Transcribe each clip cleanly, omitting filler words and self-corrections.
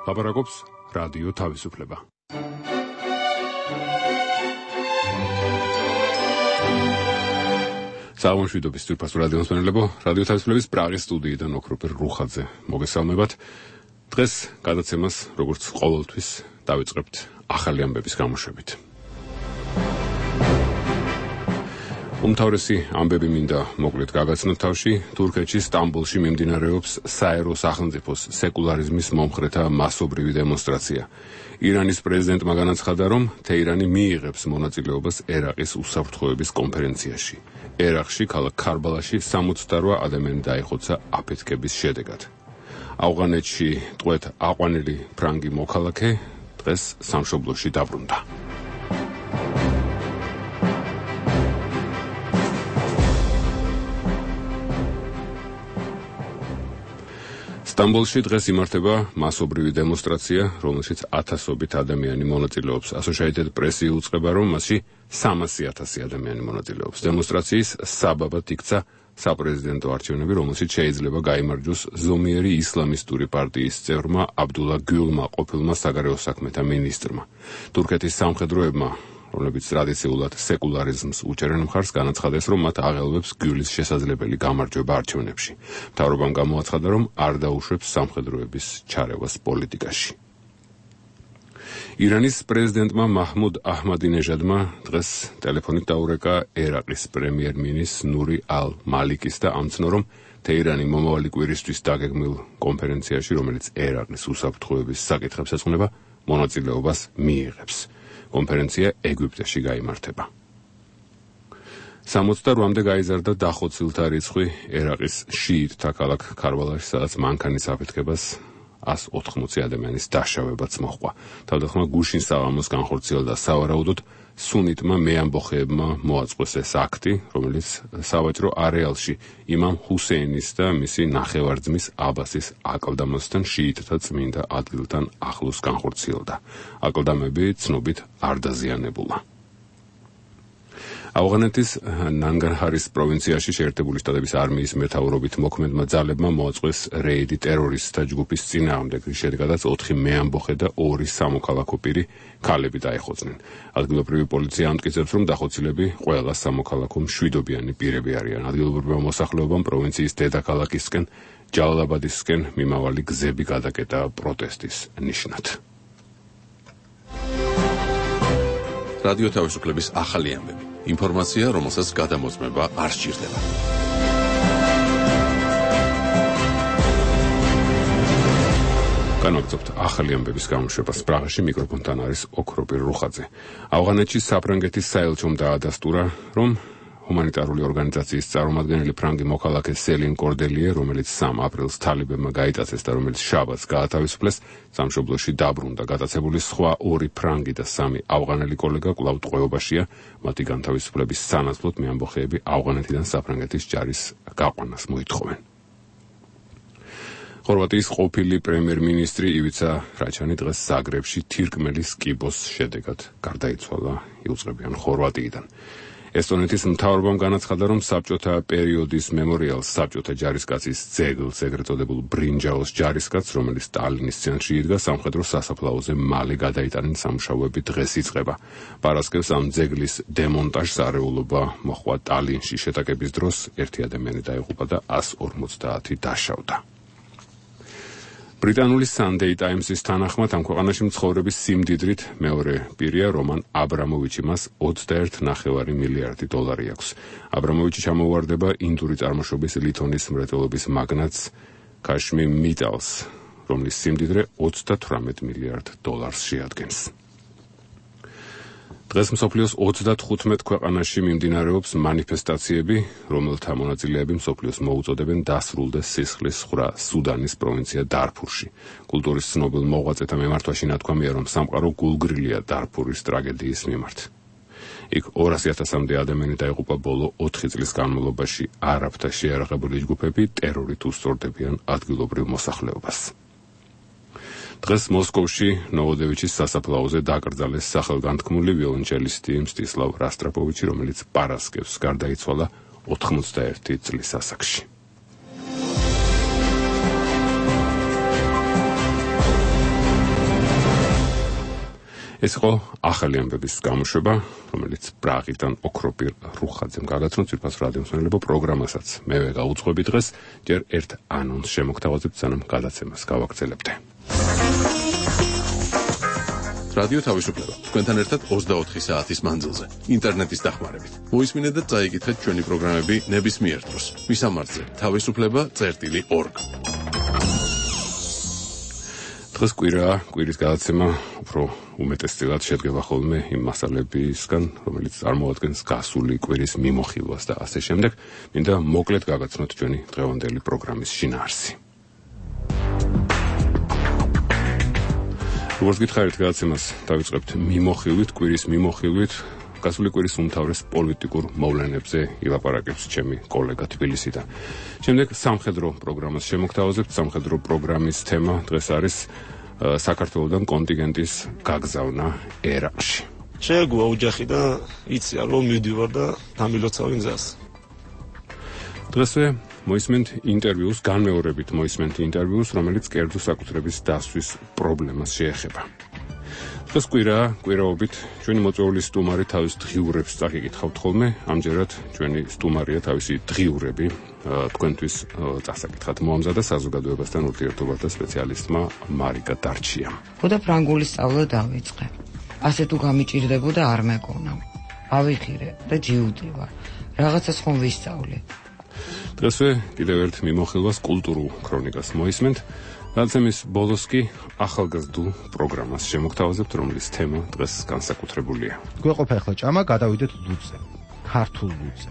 ლაპარაკობს რადიო თავისუფლება. საუბრობთ თურქეთის რადიოს მსმენელებო, რადიო თავისუფლების პრაღის სტუდიიდან ოქროპერ რუხაძე მოგესალმებათ. დღეს გადაცემას, როგორც ყოველთვის, დავიწყებთ ახალი ამბების გამოშვებით. უმთავრესი ამბები მინდა მოკლედ გაგაცნოთ თავში. თურქეთში სტამბოლში მიმდინარეობს საერო სახელმწიფოს სეკულარიზმის მომხრეთა მასობრივი დემონსტრაცია. ირანის პრეზიდენტმა განაცხადა, რომ თეირანი მიიღებს მონაწილეობას ერაყის უსაფრთხოების კონფერენციაში. ერაყში, ქალაქ ქარბალაში 68 ადამიანი დაიხოცა აფეთქების შედეგად. ავღანეთში ტყვედ აყვანილი ფრანგი მოქალაქე დღეს სამშობლოში დაბრუნდა. სტამბოლში დღეს იმართება მასობრივი დემონსტრაცია, რომელშიც ათასობით ადამიანი მონაწილეობს. Associated Press იუწყება, რომ მასში 300,000 ადამიანი მონაწილეობს. დემონსტრაციის საბაბად იქცა საპრეზიდენტო არჩევნები, რომელშიც შეიძლება გაიმარჯვოს ზომიერი ისლამისტური პარტიის წევრმა აბდულა გულმა, ყოფილმა საგარეო საქმეთა მინისტრმა. თურქეთის სამხედროებმა, რომლებიც ტრადიციულად სეკულარიზმს უჭერენ მხარს, განაცხადეს, რომ მათ აღელვებს გულის შესაძლებელი გამარჯვება არჩევნებში. მთავრობამ გამოაცხადა, რომ არ დაუშვებს სამხედროების ჩარევას პოლიტიკაში. ირანის პრეზიდენტმა მაჰმუდ აჰმადინეჟადმა დღეს ტელეფონით დაურეკა ერაყის პრემიერ-მინისტრ ნური ალ-მალიკის და ამცნო, რომ თეირანი მომავალი კვირისთვის დაგეგმილ კონფერენციაში, რომელიც ერაყის უსაფრთხოების საკითხებს ეძღვნება, მონაწილეობას მიიღებს. კონფერენცია ეგვიპტეში გაიმართება. 68-მდე გაიზარდა დახოცილთა რიცხვი ერაყის შიიტთა ქალაქ ქარბალაში, სადაც მანქანის აფეთქებას 180 ადამიანის დაშავებაც მოჰყვა. თავდახმა გუშინ საღამოს განხორციელდა სავარაუდოდ სუნიტმა მეამბოხეებმა მოაწყვეს ეს აქტი, რომელიც სავაჭრო არეალში იმამ ჰუსეინის და მისი ნახევარძმის აბასის აკლდამასთან შიიტთა წმინდა ადგილთან ახლოს განხორციელდა. აკლდამები ცნობით არ დაზიანებულა. ავღანეთის ნანგარჰარის პროვინციაში შეერთებული შტატების არმიის მეთაურობით მოქმედმა ძალებმა მოაწყვეს რეიდი ტერორისტთა ჯგუფის წინააღმდეგ, რის შედეგადაც 4 მეამბოხე და 2 სამოქალაქო პირი ქალები დაეხოწნენ. ადგილობრივი პოლიცია ამტკიცებს, რომ დახოცილები ყველა სამოქალაქო მშვიდობიანი პირები არიან. ადგილობრივმა მოსახლეობამ პროვინციის დედაქალაქისკენ, ჯალალაბადისკენ მიმავალი გზები გადაკეტა პროტესტის ნიშნად. რადიო თავისუფლების ახალი ამბები. ინფორმაცია, რომელსაც გადამოწმება არ სჭირდება. განაგრძობთ ახალი ამბების გამოშვებას. პრაღაში მიკროფონთან არის ოქროპერ რუხაძე. ავღანეთში საფრანგეთის საელჩომ დაადასტურა, რომ ჰუმანიტარული ორგანიზაციის წარმომადგენელი ფრანგი მოქალაქე სელინ კორდელიე, რომელიც 3 აპრილს თალიბებმა გაიტაცეს და რომელიც შაბათს გაათავისუფლეს, სამშობლოში დაბრუნდა. გატაცებული სხვა 2 ფრანგი და 3 ავღანელი კოლეგა კვლავ ტყვეობაშია. მათი განთავისუფლების სანაცვლოდ მეამბოხეები ავღანეთიდან საფრანგეთის ჯარის გაყვანას მოითხოვენ. ხორვატიის ყოფილი პრემიერ-მინისტრი ივიცა რაჩანი დღეს ზაგრებში თირკმელის კიბოს შედეგად გარდაიცვალა. იუწყებიან ხორვატიიდან. ესტონეთის მთავრობამ განაცხადა, რომ საბჭოთა პერიოდის მემორიალს საბჭოთა ჯარისკაცის ძეგლს, ეგრეთ წოდებულ ბრინჯაოს ჯარისკაცს, რომელიც ტალინის ცენტრში იდგა, სამხედრო სასაფლაოზე მალე გადაიტანენ სამუშაოები დღეს იწყება. პარასკევს ამ ძეგლის დემონტაჟს არეულობა მოჰყვა ტალინში. შეტაკების დროს 1 ადამიანი დაიღუპა და 150 დაშავდა. ბრიტანული Sunday Times-ის თანახმად ამ ქვეყანაში მცხოვრების სიმდიდრით მეორე პირია რომან აბრამოვიჩი, მას 21,5 მილიარდი დოლარი აქვს. აბრამოვიჩი ჩამოუვარდება ინდური წარმოშობის ლითონის მრეწველობის მაგნატს კაშმი მეტალს, რომლის სიმდიდრე 38 მილიარდ დოლარს შეადგენს. დღეს მსოფლიოს 35 ქვეყანაში მიმდინარეობს მანიფესტაციები, რომელთა მონაწილეები მსოფლიოს მოუწოდებენ დასრულდეს სისხლის ხრა სუდანის პროვინცია დარფურში. კულტურის ცნობილ მოღვაწეთა მიმართვაში ნათქვამია, რომ სამყარო გულგრილია დარფურის ტრაგედიის მიმართ. იქ 200,000-მდე ადამიანი დაიღუპა ბოლო 4 წლის განმავლობაში. არაბთა შეიარაღებული ჯგუფები ტერორით უსწორდებიან ადგილობრივ მოსახლეობას. დღეს მოსკოვში ნოვოდევიჩის სასაფლაოზე დაკრძალეს სახელგანთქმული ვიოლონჩელისტი მსტისლავ რასტრაპოვიჩი, რომელიც პარასკევს გარდაიცვალა 81 წლის ასაკში. ეს იყო ახალი ამბების გამოშვება, რომელიც პრაღიდან ოქროპირ რუხაძემ გაგაცნო ძვირფას რადიო მსმენელებო პროგრამასაც მევე გაუძღვები დღეს, ჯერ ერთ ანონსს შემოგთავაზებთ, სანამ გადაცემას გავაგრძელებთ. რადიო თავისუფლება თქვენთან ერთად 24 საათის მანძილზე ინტერნეტის დახმარებით. მოისმინეთ და წაიკითხეთ ჩვენი პროგრამები ნებისმიერ დროს. მისამართზე თავისუფლება.org. დღეს კვირის გადაცემა უფრო უმეტესწილად შედგება ხოლმე იმ მასალებისგან, რომელიც წარმოადგენს გასული კვირის მიმოხილვას და ასე შემდეგ. მინდა მოკლედ გაგაცნოთ ჩვენი დღევანდელი პროგრამის შინაარსი. როგორც გითხარით, გადაცემას დავიწყებთ მიმოხილვით, კვირის მიმოხილვით. გასული კვირის უმთავრეს პოლიტიკურ მოვლენებზე ილაპარაკებს ჩემი კოლეგა თბილისიდან. შემდეგ სამხედრო პროგრამას შემოგთავაზებთ. სამხედრო პროგრამის თემა დღეს არის საქართველოსთან კონტინგენტის გაგზავნა ერაყში. შეეგუა ოჯახი და იციან რომ მივდივარ და დამილოცავი გზას. დღესვე მოისმენთ ინტერვიუს, განმეორებით მოისმენთ ინტერვიუს, რომელიც კერძო საკუთრების დასვის პრობლემას შეეხება. დღეს კვირაობით ჩვენი მოწვეული სტუმარი თავის დღიურებს წაგიკითხავთ ხოლმე, ამჯერად ჩვენი სტუმარია თავისი დღიურები თქვენთვის წასაკითხად მოამზადა საზოგადოებასთან ურთიერთობათა სპეციალისტმა მარიკა დარჩიამ. ხოდა ფრანგული სწავლა დავიწყე. ასე თუ გამიჭირდებოდა არ მეკონა. ავიხირე და ჯიუტივარ. რაღაცას ხომ ვისწავლე. დღესვე კიდევ ერთ მიმოხილვას კულტურულ ქრონიკას მოისმენთ. გადაცემის ბოლოს კი ახალგაზრდულ პროგრამას შემოგთავაზებთ, რომლის თემა დღეს განსაკუთრებულია. გვეყოფა ახლა ჭამა, გადავიდეთ ლუდზე. ქართულ ლუდზე.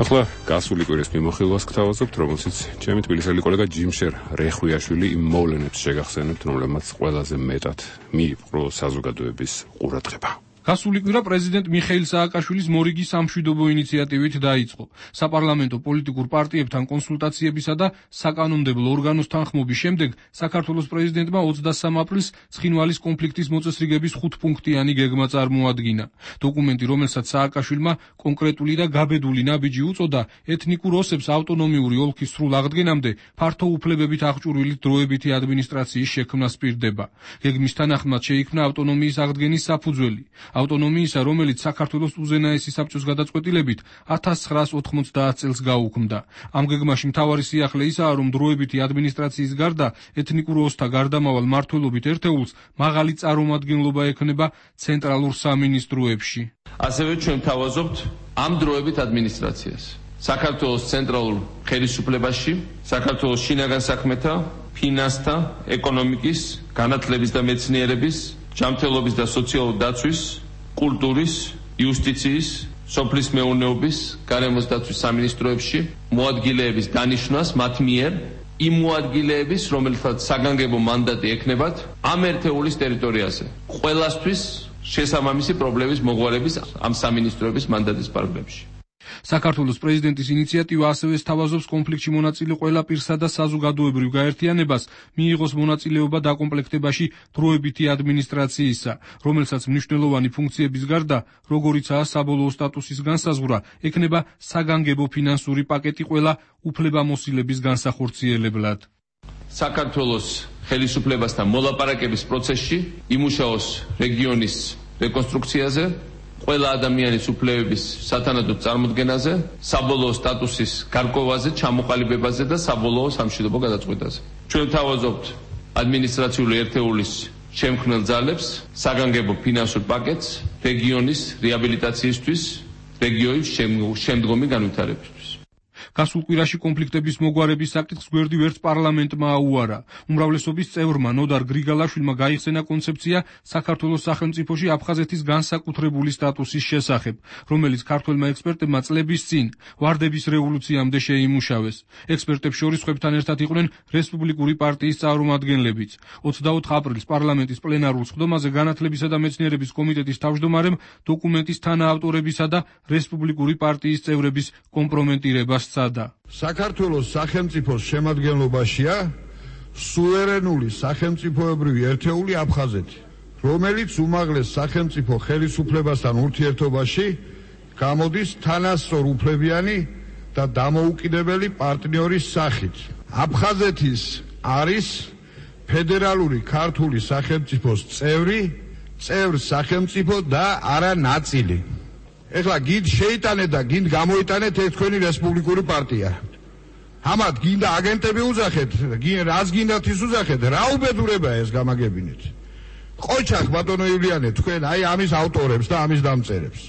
ახლა გასული კვირის მიმოხილვას გთავაზობთ, რომელშიც ჩემი თბილისელი კოლეგა ჯიმშერ რეხვიაშვილი იმ მოვლენებს შეგახსენებთ, რომლებმაც ყველაზე მეტად მიიპყრო საზოგადოების ყურადღება. გასული კვირა პრეზიდენტ მიხეილ სააკაშვილის მორიგი სამშვიდობო ინიციატივით დაიწყო. საპარლამენტო პოლიტიკურ პარტიებთან კონსულტაციებისა და საკანონმდებლო ორგანოს თანხმობის შემდეგ საქართველოს პრეზიდენტმა 23 აპრილს ცხინვალის კონფლიქტის მოწესრიგების 5-პუნქტიანი გეგმა წარმოადგინა. დოკუმენტი, რომელსაც სააკაშვილმა კონკრეტული და გაბედული ნაბიჯი უწოდა, ეთნიკურ ოსებს ავტონომიური ოლქის სრულ აღდგენამდე ფართო უფლებებით აღჭურვილი დროებითი ადმინისტრაციის შექმნას პირდება. გეგმის თანახმად შეიქმნა ავტონომიის აღდგენის საფუძველი. ავტონომიისა, რომელიც საქართველოს უზენაესი საბჭოს გადაწყვეტილებით 1990 წელს გაუქმდა. ამ გეგმაში მთავარი სიახლე ისაა, რომ დროებითი ადმინისტრაციის გარდა ეთნიკურ ოსთა გარდამავალ მმართველობით ერთეულს მაღალი წარმომადგენლობა ექნება ცენტრალურ სამინისტროებში. ასევე ჩვენ თავაზობთ ამ დროებით ადმინისტრაციას. საქართველოს ცენტრალურ ხელისუფლებაში, საქართველოს შინაგან საქმეთა, ფინანსთა, ეკონომიკის, განათლების და მეცნიერების, ჯანმრთელობის და სოციალური დაცვის, კულტურის, იუსტიციის, სოფლის მეურნეობის, გარემოს დაცვის სამინისტროებში მოადგილეების დანიშვნას მათ მიერ იმ მოადგილეების, რომელთაც საგანგებო მანდატი ექნებათ ამ ერთეულის ტერიტორიაზე. ყველასთვის შესაბამისი პრობლემის მოგვარების ამ სამინისტროების მანდატის პარაგრაფში. საქართველოს პრეზიდენტის ინიციატივა ასევე სთავაზობს კონფლიქტში მონაწილე ყველა პირსა და საზოგადოებრივ გაერთიანებას მიიღოს მონაწილეობა დაკომპლექტებაში დროებითი ადმინისტრაციისა, რომელსაც მნიშვნელოვანი ფუნქციების გარდა, როგორიცაა საბოლოო სტატუსის განსაზღვრა, ექნება საგანგებო ფინანსური პაკეტი ყველა უფლებამოსილების განსახორციელებლად. საქართველოს ხელისუფლებასთან მოლაპარაკების პროცესში იმუშაოს რეგიონის რეკონსტრუქციაზე, ყველა ადამიანის უფლებების სათანადო წარმოდგენაზე, საბოლოო სტატუსის გარკვევაზე, ჩამოყალიბებაზე და საბოლოო სამშვიდობო გადაწყვეტაზე. ჩვენ თავაზობთ ადმინისტრაციული ერთეულის შემქმნელ ძალებს, საგანგებო ფინანსურ პაკეტს რეგიონის რეაბილიტაციისთვის, რეგიონის შემდგომი განვითარებისთვის. გასულ კვირაში კონფლიქტების მოგვარების საკითხს გვერდი ვერც პარლამენტმა აუარა. უმრავლესობის წევრმა ნოდარ გრიგალაშვილმა გაიხსენა კონცეფცია საქართველოს სახელმწიფოში აფხაზეთის განსაკუთრებული სტატუსის შესახებ, რომელიც ქართველმა ექსპერტებმა წლების წინ ვარდების რევოლუციამდე შეიმუშავეს. ექსპერტებს შორის ხვებთან ერთად იყვნენ რესპუბლიკური პარტიის წარმომადგენლებიც. 24 აპრილს პარლამენტის პლენარულ სხდომაზე განათლებისა და მეცნიერების კომიტეტის თავმჯდომარემ დოკუმენტის თანაავტორებისა და რესპუბლიკური პარტიის წევრების კომპრომენტირებას საქართველოს სახელმწიფოს შემადგენლობაშია სუვერენული სახელმწიფოებრივი ერთეული აფხაზეთი, რომელიც უმაღლეს სახელმწიფო ხელისუფლებასთან ურთიერთობაში გამოდის თანასწორ უფლებიანი და დამოუკიდებელი პარტნიორის სახით. აფხაზეთის არის ფედერალური ქართული სახელმწიფოს წევრ სახელმწიფო და არა ნაწილი. ეხლა გინდ შეიტანეთ და გინდ გამოიტანეთ ეს თქვენი რესპუბლიკური პარტია. ამათ გინდა აგენტები უზახეთ, რაც გინდათ ის უზახეთ, რა უბედურებაა ეს გამაგებინეთ. ყოჩახ ბატონო ივლიანე, თქვენ აი ამის ავტორებს და ამის დამწერებს.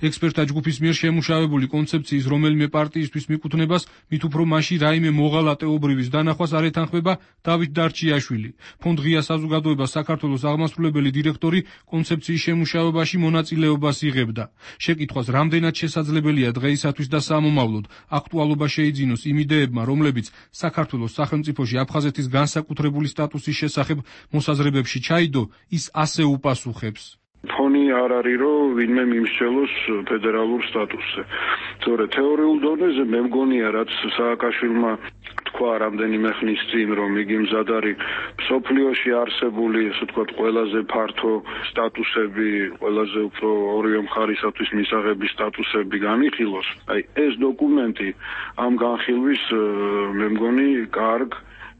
ექსპერტთა ჯგუფის მიერ შემუშავებული კონცეფციის რომელიმე პარტიისთვის მიკუთვნებას მით უფრო მასში რაიმე მოღალატეობრივის დანახვას არ ეთანხმება დავით დარჩიაშვილი. ფონდ ღია საზოგადოება საქართველოს აღმასრულებელი დირექტორი კონცეფციის შემუშავებაში მონაწილეობას იღებდა. შეკითხვას რამდენად შესაძლებელია დღეისათვის და სამომავლოდ აქტუალობა შეიძინოს იმ იდეებმა, რომლებიც საქართველოს სახელმწიფოში აფხაზეთის განსაკუთრებული სტატუსის შესახებ მოსაზრებებში ჩაიდო, ის ასე უპასუხებს. ფონი არ არის, რომ ვინმე მიმსჯელოს ფედერალურ სტატუსზე. თორე თეორიულ დონეზე მე მგონია, რაც სააკაშვილმა თქვა რამდენიმე ხნის წინ, რომ იგი მზად არის მსოფლიოში არსებული, ასე ვთქვათ, ყველაზე ფართო სტატუსები, ყველაზე უფრო ორივე მხარისათვის მისაღები სტატუსები განიხილოს. აი ეს დოკუმენტი ამ განხილვის მე მგონი კარგ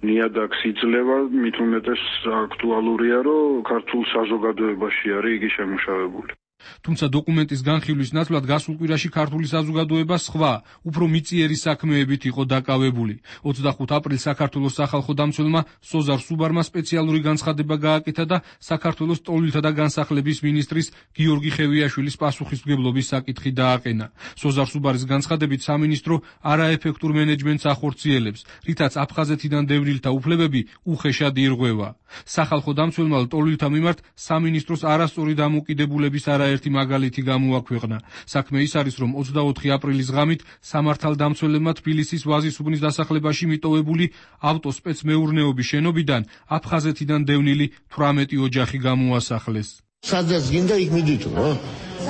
ნიადაგს იძლევა, მით უმეტეს აქტუალურია, რომ ქართულ საზოგადოებაში არის იგი შემუშავებული. თუმცა დოკუმენტის განხილვის ნაცვლად გასულ კვირაში ქართული საზოგადოება სხვა, უფრო მიწიერი საქმეებით იყო დაკავებული. 25 აპრილს საქართველოს სახალხო დამცველმა სოზარ სუბარმა სპეციალური განცხადება გააკეთა და საქართველოს ტოლილთა და განსახლების მინისტრის გიორგი ხევიაშვილის პასუხისმგებლობის საკითხი დააყენა. სოზარ სუბარის განცხადებით სამინისტრო არაეფექტურ მენეჯმენტს ახორციელებს, რითაც აფხაზეთიდან დევნილთა უფლებები უხეშად ირღვევა. სახალხო დამცველმა ტოლილთა მიმართ სამინისტროს არასწორი დამოკიდებულების ერთი მაგალითი გამოაქვეყნა. საქმე ის არის, რომ 24 აპრილის ღამით სამართალდამცველებმა თბილისის ვაზისუბნის დასახლებაში მიტოვებული ავტოსპეცმეურნეობის შენობიდან აფხაზეთიდან დევნილი 18 ოჯახი გამოასახლეს. სადაც გინდა იქ მიდითო,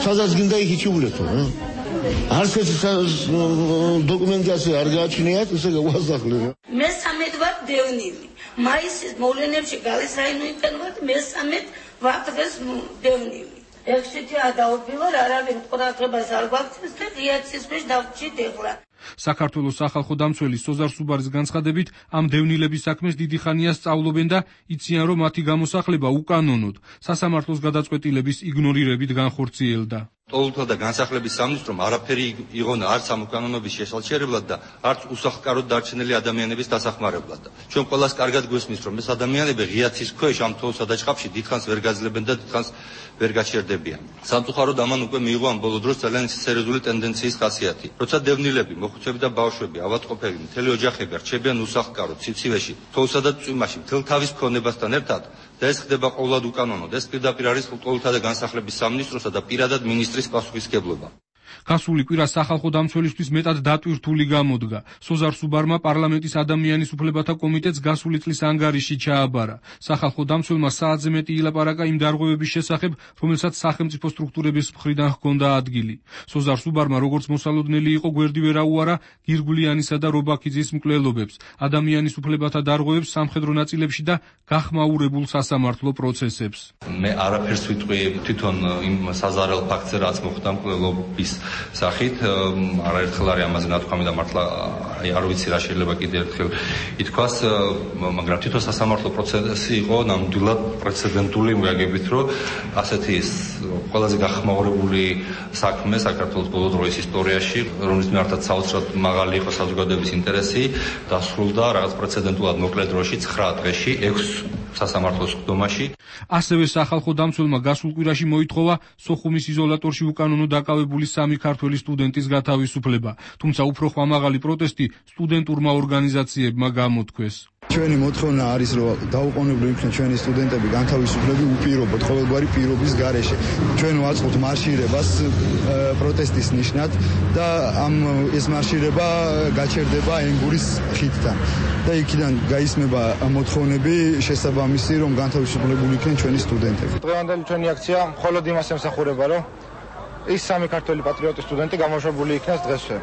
სადაც გინდა იქ იჩიულეთო. არც ეს დოკუმენტაცია არ გააჩნიათ, ესე გავასახლე. მე 13 ვარ დევნილი. მაისის მოვლენებში გალის რაიონიდან ვარ, მე 13 ვარ დღეს დევნილი. ექსეთი ადაუფილო არავინ ყურადღებას არ გვაქცევს და ღიაცის ქვეშ დავჭით ეხლა. საქართველოს სახალხო დამცველი სოზარ სუბარის განცხადებით ამ დევნილების საქმეს დიდი ხანია სწავლობენ და იციან, რომ მათი გამოსახლება უკანონოდ სასამართლოს გადაწყვეტილების იგნორირებით განხორციელდა. ტოლილთა და განსახლების სამინისტრომ არაფერი იღონა არც ამ უკანონობის შესაჩერებლად და არც უსახლკაროდ დარჩენილი ადამიანების დასახმარებლად. ჩვენ ყველას კარგად გვესმის, რომ ეს ადამიანები ღიაცის ქვეშ ამ თოვლსა და ჭყაფში დიდხანს ვერ გაძლებენ და დიდხანს ვერ გაჩერდებიან. სამწუხაროდ ამან უკვე მიიღო ამ ბოლო დროს ძალიან სერიოზული ტენდენციის ხასიათი. როცა დევნილები, მოხუცები და ბავშვები, ავადმყოფები, მთელი ოჯახები რჩებიან უსახლკაროდ სიცივეში, თოვლსა და წვიმაში, მთელ თავის ქონებასთან ერთად და ეს ხდება ყოვლად უკანონოდ. ეს პირდაპირ არის ტოლილთა და განსახლების სამინისტროსა და პირადად მინისტრის პასუხისმგებლობა. გასული კვირა სახალხო დამცველისთვის მეტად დატვირთული გამოდგა. სოზარ სუბარმა პარლამენტის ადამიანის უფლებათა კომიტეტს გასული წლის ანგარიში ჩააბარა. სახალხო დამცველმა საათზე მეტი ილაპარაკა იმ დარღვევების შესახებ, რომელსაც სახელმწიფო სტრუქტურების მხრიდან ჰქონდა ადგილი. სოზარ სუბარმა როგორც მოსალოდნელი იყო გვერდი ვერ აუარა გირგვლიანისა და რობაქიძის მკვლელობებს, ადამიანის უფლებათა დარღვევებს სამხედრო ნაწილებში და გახმაურებულ სასამართლო პროცესებს. მე არაფერს ვიტყვი თვითონ იმ საზარელ ფაქტზე, რაც მოხდა მკვლელობის სახით, არაერთხელ არის ამაზე ნათქვამი და მართლა არ ვიცი რა შეიძლება კიდევ ერთხელ ითქვას, მაგრამ თვითონ სასამართლო პროცესი იყო ნამდვილად პრეცედენტული, მოგაგებით, რომ ასეთი ყველაზე გახმაურებული საქმე საქართველოს ბოლო დროის ისტორიაში, რომლის მიმართაც საოცრად მაღალი იყო საზოგადოების ინტერესი, დასრულდა რაღაც პრეცედენტულად მოკლე დროში 9 დღეში 6 სასამართლოს ხდომაში. ასევე სახალხო დამცველმა გასულ კვირაში მოითხოვა სოხუმის იზოლატორში უკანონო დაკავებული 3 ქართველი სტუდენტის გათავისუფლება, თუმცა უფრო ხმამაღალი პროტესტი სტუდენტურმა ორგანიზაციებმა გამოთქვეს. ჩვენი მოთხოვნა არის, რომ დაუყოვნებლივ იქნეს ჩვენი სტუდენტები განთავისუფლები უპირობოდ, ყოველგვარი პირობის გარეშე. ჩვენ ვაწყობთ მარშირებას პროტესტის ნიშნად და ეს მარშირება გაჩერდება ენგურის ხიდთან. და იქიდან გაისმება მოთხოვნები შესაბამისი, რომ განთავისუფლებული იქნენ ჩვენი სტუდენტები. დღევანდელი ჩვენი აქცია მხოლოდ იმას ემსახურება, რომ ის 3 ქართველი პატრიოტი სტუდენტი გამოშვებული იქნეს დღესვე.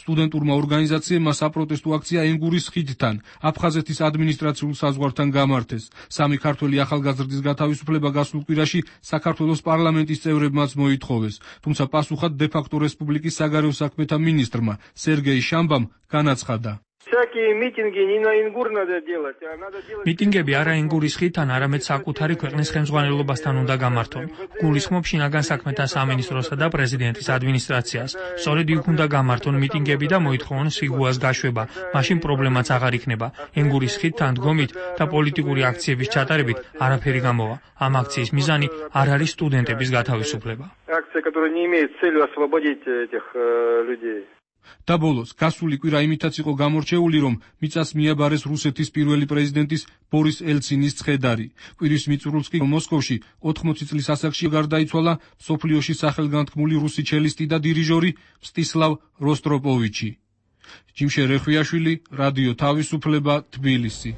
სტუდენტურმა ორგანიზაციებმა საპროტესტო აქცია ენგურის ხიდთან, აფხაზეთის ადმინისტრაციულ საზღვართან გამართეს. სამი ქართველი ახალგაზრდის გათავისუფლება გასულ კვირაში საქართველოს პარლამენტის წევრებმაც მოითხოვეს, თუმცა პასუხად დე-ფაქტო რესპუბლიკის საგარეო საქმეთა მინისტრმა სერგეი შამბამ განაცხადა. მიტინგები არა ენგურის ხიდთან, არამედ საკუთარი ქვეყნის ხელმძღვანელობასთან უნდა გამართონ. გულისხმობ შინაგან საქმეთა სამინისტროსა და პრეზიდენტის ადმინისტრაციას. სწორედ იქ უნდა გამართონ მიტინგები და მოითხოვონ სიგუას გაშვება. მაშინ პრობლემაც აღარ იქნება. ენგურის ხიდთან დგომით და პოლიტიკური აქციების ჩატარებით არაფერი გამოვა. ამ აქციის მიზანი არ არის სტუდენტების გათავისუფლება. და ბოლოს, გასული კვირა იმითაც იყო გამორჩეული, რომ მიწას მიაბარეს რუსეთის პირველი პრეზიდენტის ბორის ელცინის ცხედარი. კვირის მიწურულს კი მოსკოვში 80 წლის ასაკში გარდაიცვალა მსოფლიოში სახელგანთქმული რუსი ჩელისტი და დირიჟორი მსტისლავ როსტროპოვიჩი. ჯიმშე რეხვიაშვილი, რადიო თავისუფლება, თბილისი.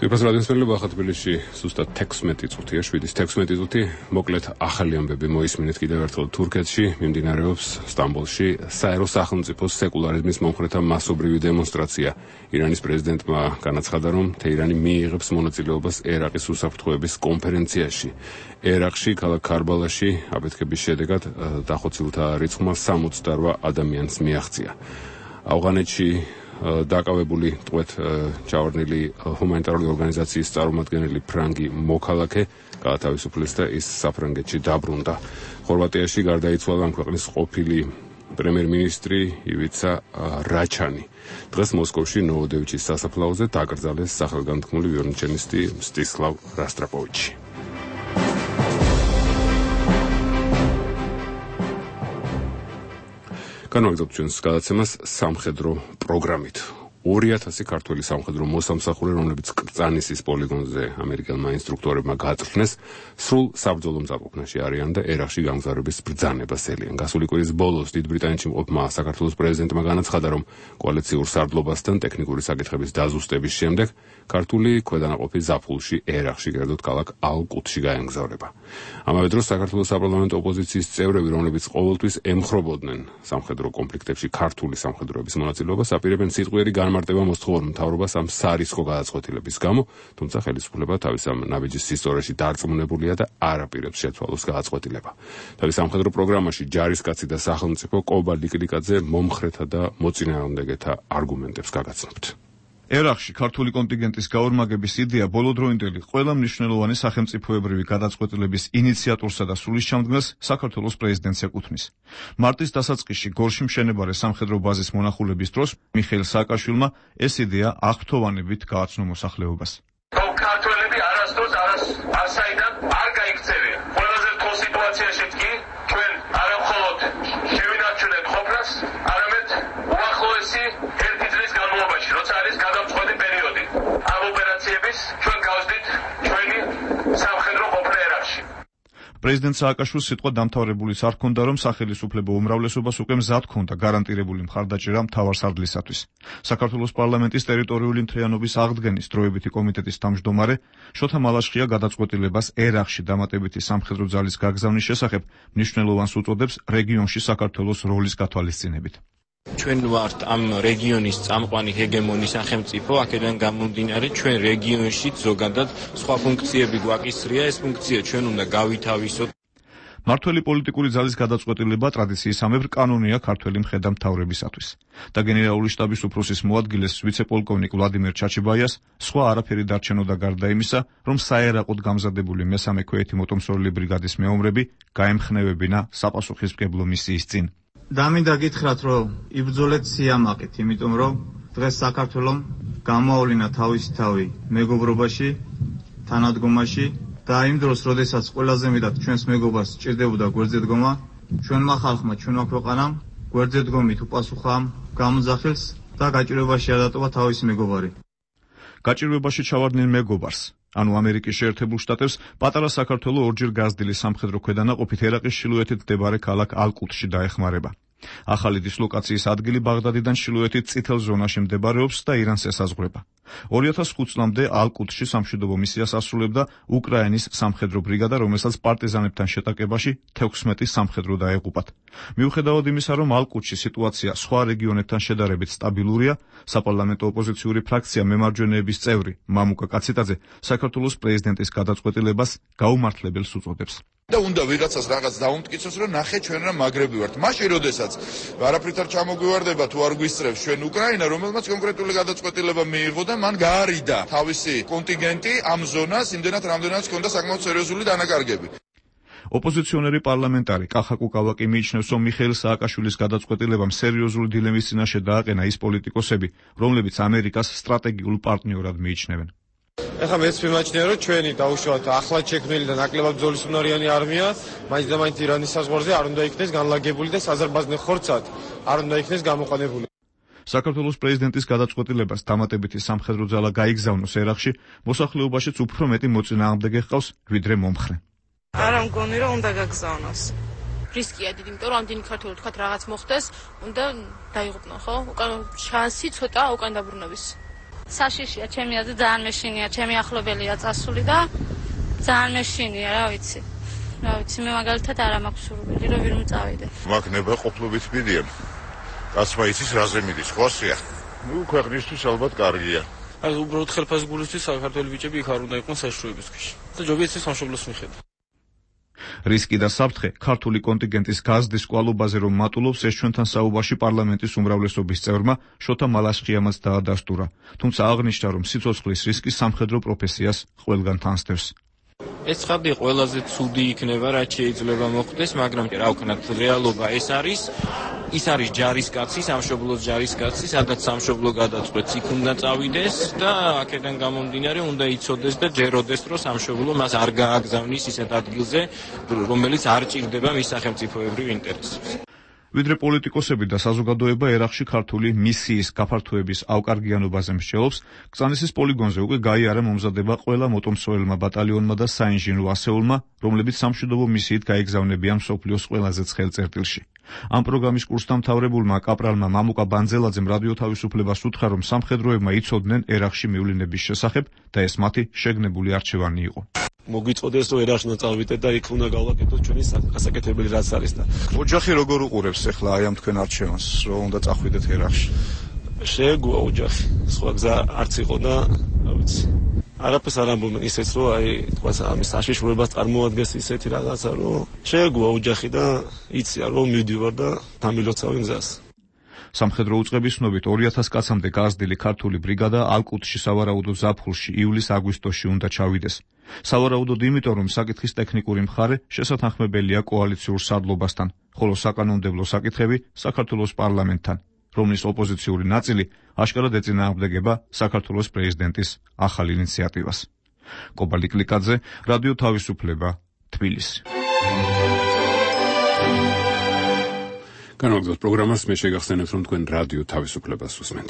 Είπα რადიოსმენელობა ახლა თბილისში ზუსტად 16 წუთია, 7-16 წუთი. მოკლედ ახალი ამბები მოისმინეთ კიდევ ერთხელ თურქეთში, მიმდინარეობს სტამბოლში საერო სახელმწიფოს სეკულარიზმის მომხრეთა მასობრივი დემონსტრაცია. ირანის პრეზიდენტმა განაცხადა, რომ თეირანი მიიღებს მონაწილეობას ერაყის უსაფრთხოების კონფერენციაში. ერაყში, ქალაქ ქარბალაში აფეთქების შედეგად დახოცილთა რიცხვმა 68 ადამიანს მიაღწია. ავღანეთში დაკავებული ტყვეთ ჩავარდნილი ჰუმანიტარული ორგანიზაციის წარმომადგენელი ფრანგი მოქალაქე გაათავისუფლეს და ის საფრანგეთში დაბრუნდა. ხორვატიაში გარდაიცვალა ამ ქვეყნის ყოფილი პრემიერ-მინისტრი ივიცა რაჩანი. დღეს მოსკოვში ნოვოდევიჩის სასაფლაოზე დაკრძალეს სახელგანთქმული ვიოლონჩელისტი მსტისლავ როსტროპოვიჩი. განვაგრძობთ ჩვენს გადაცემას სამხედრო პროგრამით. 2000 ქართველი სამხედრო მოსამსახურე, რომლებიც კრწანისის პოლიგონზე ამერიკელმა ინსტრუქტორებმა გააწვრთნეს, სრულ საბრძოლო მზადყოფნაში არიან და ერაყში გამგზავრების ბრძანებას ელიან. გასული კვირის ბოლოს დიდ ბრიტანეთში მყოფმა საქართველოს პრეზიდენტმა განაცხადა, რომ კოალიციურ სარდლობასთან ტექნიკური საკითხების დაზუსტების შემდეგ ქართული ქვედანაყოფი ზაფხულში ერაყში, კერძოდ ქალაქ ალ-კუდსში გაემგზავრება. ამავე დროს საქართველოს საპარლამენტო ოპოზიციის წევრები, რომლებიც ყოველთვის ემხრობოდნენ სამხედრო კონფლიქტებში ქართული სამხედროების მონაწილეობას, აპირებენ სიტყვიერი განმარტება მოსთხოვარ მთავრობას ამ სარისკო გადაწყვეტილების გამო, თუმცა ხელისუფლება თავის ამ ნაბიჯის ისტორიაში დარწმუნებულია და არ აპირებს შეცვალოს გადაწყვეტილება. თავის სამხედრო პროგრამაში ჯარისკაცი და სახელმწიფო კობა ლიკლიკაძე მომხრეთა და მოწინააღმდეგეთა არგუმენტებს გაგაცნობთ. ერაყში ქართული კონტინგენტის გაორმაგების იდეა ბოლოდროინდელი ყველა მნიშვნელოვანი სახელმწიფოებრივი გადაწყვეტილების ინიციატორსა და სულისჩამდგმელს საქართველოს პრეზიდენტს ეკუთვნის. მარტის დასაწყისში გორში მშენებარე სამხედრო ბაზის მონახულების დროს მიხეილ სააკაშვილმა ეს იდეა აღფრთოვანებით გააცნო მოსახლეობას. ქართველები არასდროს არასაიდან არ გაიქცევიან. ყველაზე რთულ სიტუაციაში კი ჩვენ არა მხოლოდ შევინარჩუნეთ ყოფნას, არამედ უახლოესი ერთი წლის განმავლობაში, როცა არის გადამწყვეტი პერიოდი ამ ოპერაციების, ჩვენ გავსდით ჩვენი სამხედრო ყოფნა ერაყში. პრეზიდენტ სააკაშვილს სიტყვა დამთავრებულიც არ ჰქონდა, რომ სახელისუფლებო უმრავლესობას უკვე მზად ჰქონდა გარანტირებული მხარდაჭერა მთავარსარდლისათვის. საქართველოს პარლამენტის ტერიტორიული მთლიანობის აღდგენის დროებითი კომიტეტის თავმჯდომარე შოთა მალაშხია გადაწყვეტილებას ერაყში დამატებითი სამხედრო ძალის გაგზავნის შესახებ მნიშვნელოვანს უწოდებს რეგიონში საქართველოს როლის გათვალისწინებით. ჩვენ ვართ ამ რეგიონის წამყვანი ჰეგემონი სახელმწიფო, აქედან გამომდინარე ჩვენ რეგიონში ზოგადად სხვა ფუნქციები გვაკისრია, ეს ფუნქცია ჩვენ უნდა გავითავისოთ. მართველი პოლიტიკური ძალის გადაწყვეტილება ტრადიციისამებრ კანონია ქართველი მხედართმთავრებისათვის და გენერალური შტაბის უფროსის მოადგილეს ვიცე-პოლკოვნიკ ვლადიმერ ჩაჩიბაიას სხვა არაფერი დარჩენოდა გარდა იმისა, რომ საერაყოდ გამზადებული მესამე ქვეითი მოტომსორული ბრიგადის მეომრები გაემხნევებინა საპასუხისმგებლო მისიის წინ. დამინდა გითხრათ, რომ იბრძოლეთ სიამაყით, იმიტომ რომ დღეს საქართველოს გამოავლინა თავისი თავი მეგობრობაში, თანადგომაში და იმ დროს, როდესაც ყველაზე მეტად ჩვენს მეგობას სჭირდებოდა გვერდზე დგომა, ჩვენმა ხალხმა, ჩვენმა ქვეყანამ გვერდზე დგომით უპასუხა ამ გამოძახილს და გაჭირვებაში ადატოვა თავისი მეგობარი. გაჭირვებაში ჩავარდნილ მეგობარს, ანუ ამერიკის შეერთებულ შტატებს, პატარა საქართველო ორჯერ გაზრდილი სამხედრო ქვედანაყოფით ერაყის ჩრდილოეთით მდებარე ქალაქ ალ-კუდსში დაეხმარება. ახალი დისლოკაციის ადგილი ბაღდადიდან ჩრდილოეთით წითელ ზონაში მდებარეობს და ირანს ესაზღვრება. 2005 წლამდე ალკუტში სამშვიდობო მისიას ასრულებდა უკრაინის სამხედრო ბრიგადა, რომელსაც პარტიზანებთან შეტაკებაში 16 სამხედრო დაეღუპათ. მიუხედავად იმისა, რომ ალკუტში სიტუაცია სხვა რეგიონებთან შედარებით სტაბილურია, საპარლამენტო ოპოზიციური ფრაქცია მემარჯვენეების წევრი მამუკა კაციტაძე საქართველოს პრეზიდენტის გადაწყვეტილებას გაუმართლებელს უწოდებს. და უნდა ვიღაცას რაღაც დაუმტკიცოს, რომ ნახე ჩვენ რა მაგრები ვართ. მაშინ როდესაც არაფრით არ ჩამოგვივარდება თუ არ გვისწრებს ჩვენ უკრაინა, რომელმაც კონკრეტული გადაწყვეტილება მიიღო და მან გაარიდა თავისი კონტინგენტი ამ ზონას, იმდენად რამდენადაც ჰქონდა საკმაოდ სერიოზული დანაკარგები. ოპოზიციონერი პარლამენტარი კახა კუკავაკი მიიჩნევს, რომ მიხეილ სააკაშვილის გადაწყვეტილებამ სერიოზული დილემის წინაშე დააყენა ის პოლიტიკოსები, რომლებიც ამერიკას სტრატეგიულ პარტნიორად მიიჩნევენ. ეხლა მეც მიმაჩნია, რომ ჩვენი დაუშვათ ახლად შექმნილი და ნაკლებად ბრძოლისუნარიანი არმია მაინც და მაინც ირანის საზღვარზე არ უნდა იქნეს განლაგებული და საზარბაზნე ხორცად არ უნდა იქნეს გამოყენებული. საქართველოს პრეზიდენტის გადაწყვეტილებას დამატებითი სამხედრო ძალა გაიგზავნოს ერაყში, მოსახლეობაშიც უფრო მეტი მოწინააღმდეგე ჰყავს, ვიდრე მომხრე. არა მგონი, რომ უნდა გაგზავნოს. რისკია დიდი, იმიტომ რომ ამდენი ქართველი თქვათ რაღაც მოხდეს, უნდა დაიღუპნო, ხო? უკან შანსი ცოტა უკან დაბრუნების. საშიშია, ჩემი აზრით ძალიან მეშინია, ჩემი ახლობელია წასული და ძალიან მეშინია, რა ვიცი. მე მაგალითად არ მაქვს სურვილი, რომ ვირმე წავიდე. მაგ ნება ყოფლობით მიდიან. კაცმა იცის რაზე მიდის, ხოსია. ქვეყნისთვის ალბათ კარგია. აი უბრალოდ ხელფასი გულისთვის საქართველოს ბიჭები იქ არ უნდა იყვნენ საშუალების ქვეშ. და ჯობია ეს სამშობლოს მიხედა. რისკი და საფრთხე ქართული კონტინგენტის გაზრდის კვალობაზე რომ მატულობს, ეს ჩვენთან საუბარში პარლამენტის უმრავლესობის წევრმა შოთა მალაშხიამაც დაადასტურა. თუმცა აღნიშნა, რომ სიცოცხლის რისკი სამხედრო პროფესიას ყველგან თანსდევს. ეს ხარდი ყველაზე ცუდი იქნება, რაც შეიძლება მოხდეს, მაგრამ რა ვქნათ, რეალობა ეს არის ჯარისკაცი, სამშობლოს ჯარისკაცი, სადაც სამშობლო გადაწყვეტს, იქ უნდა წავიდეს და აქედან გამომდინარე უნდა იცოდეს და ჯეროდეს, რომ სამშობლო მას არ გააგზავნის ისეთ ადგილზე, რომელიც არ ჭირდება მის სახელმწიფოებრივ ინტერესებს. ვიდრე პოლიტიკოსები და საზოგადოება ერაყში ქართული მისიის გაფართოების ავკარგიანობაზე მსჯელობს, კწანისის პოლიგონზე უკვე გაიარა მომზადება ყველა მოტომსოელმა ბატალიონმა და საინჟინრო ასეულმა, რომლებიც სამშვიდობო მისიით გაიგზავნებიან მსოფლიოს ყველაზე ცხელ წერტილში. ამ პროგრამის კურსდამთავრებულმა კაპრალმა მამუკა ბანძელაძემ რადიო თავისუფლებას უთხრა, რომ სამხედროებმა იცოდნენ ერაყში მივლინების შესახებ და ეს მათი შეგნებული არჩევანი იყო. მოგვიწოდეს, რომ ერაყში უნდა წავიდეთ და იქ უნდა გავაკეთოთ ჩვენი გასაკეთებელი რაც არის და ოჯახი როგორ უყურებს ახლა აი ამ თქვენ არჩევანს, რომ უნდა წახვიდეთ ერაყში? შეეგუა ოჯახი, სხვა გზა არც იყო და რა ვიცი. არაფერს არ ამბობენ ისეც, რომ აი თქვა ამის საშიშროებას წარმოადგენს ისეთი რაღაცა, რომ შეეგუა ოჯახი და იციან, რომ მივდივარ და დამილოცავენ გზას. სამხედრო უწყების ცნობით 2000 კაცამდე გაზრდილი ქართული ბრიგადა ალკუტში სავარაუდო ზაფხულში ივლის-აგვისტოში უნდა ჩავიდეს. სავარაუდოდ იმიტომ, რომ საკითხის ტექნიკური მხარე შესათანხმებელია კოალიციურ სარდლობასთან, ხოლო საკანონმდებლო საკითხები საქართველოს პარლამენტთან, რომლის ოპოზიციური ნაწილი აშკარად ეწინააღმდეგება საქართველოს პრეზიდენტის ახალ ინიციატივას. კობალი კლიკაძე, რადიო თავისუფლება, თბილისი. განვაგრძოთ პროგრამას, მე შეგახსენებთ, რომ თქვენ რადიო თავისუფლებას უსმენთ.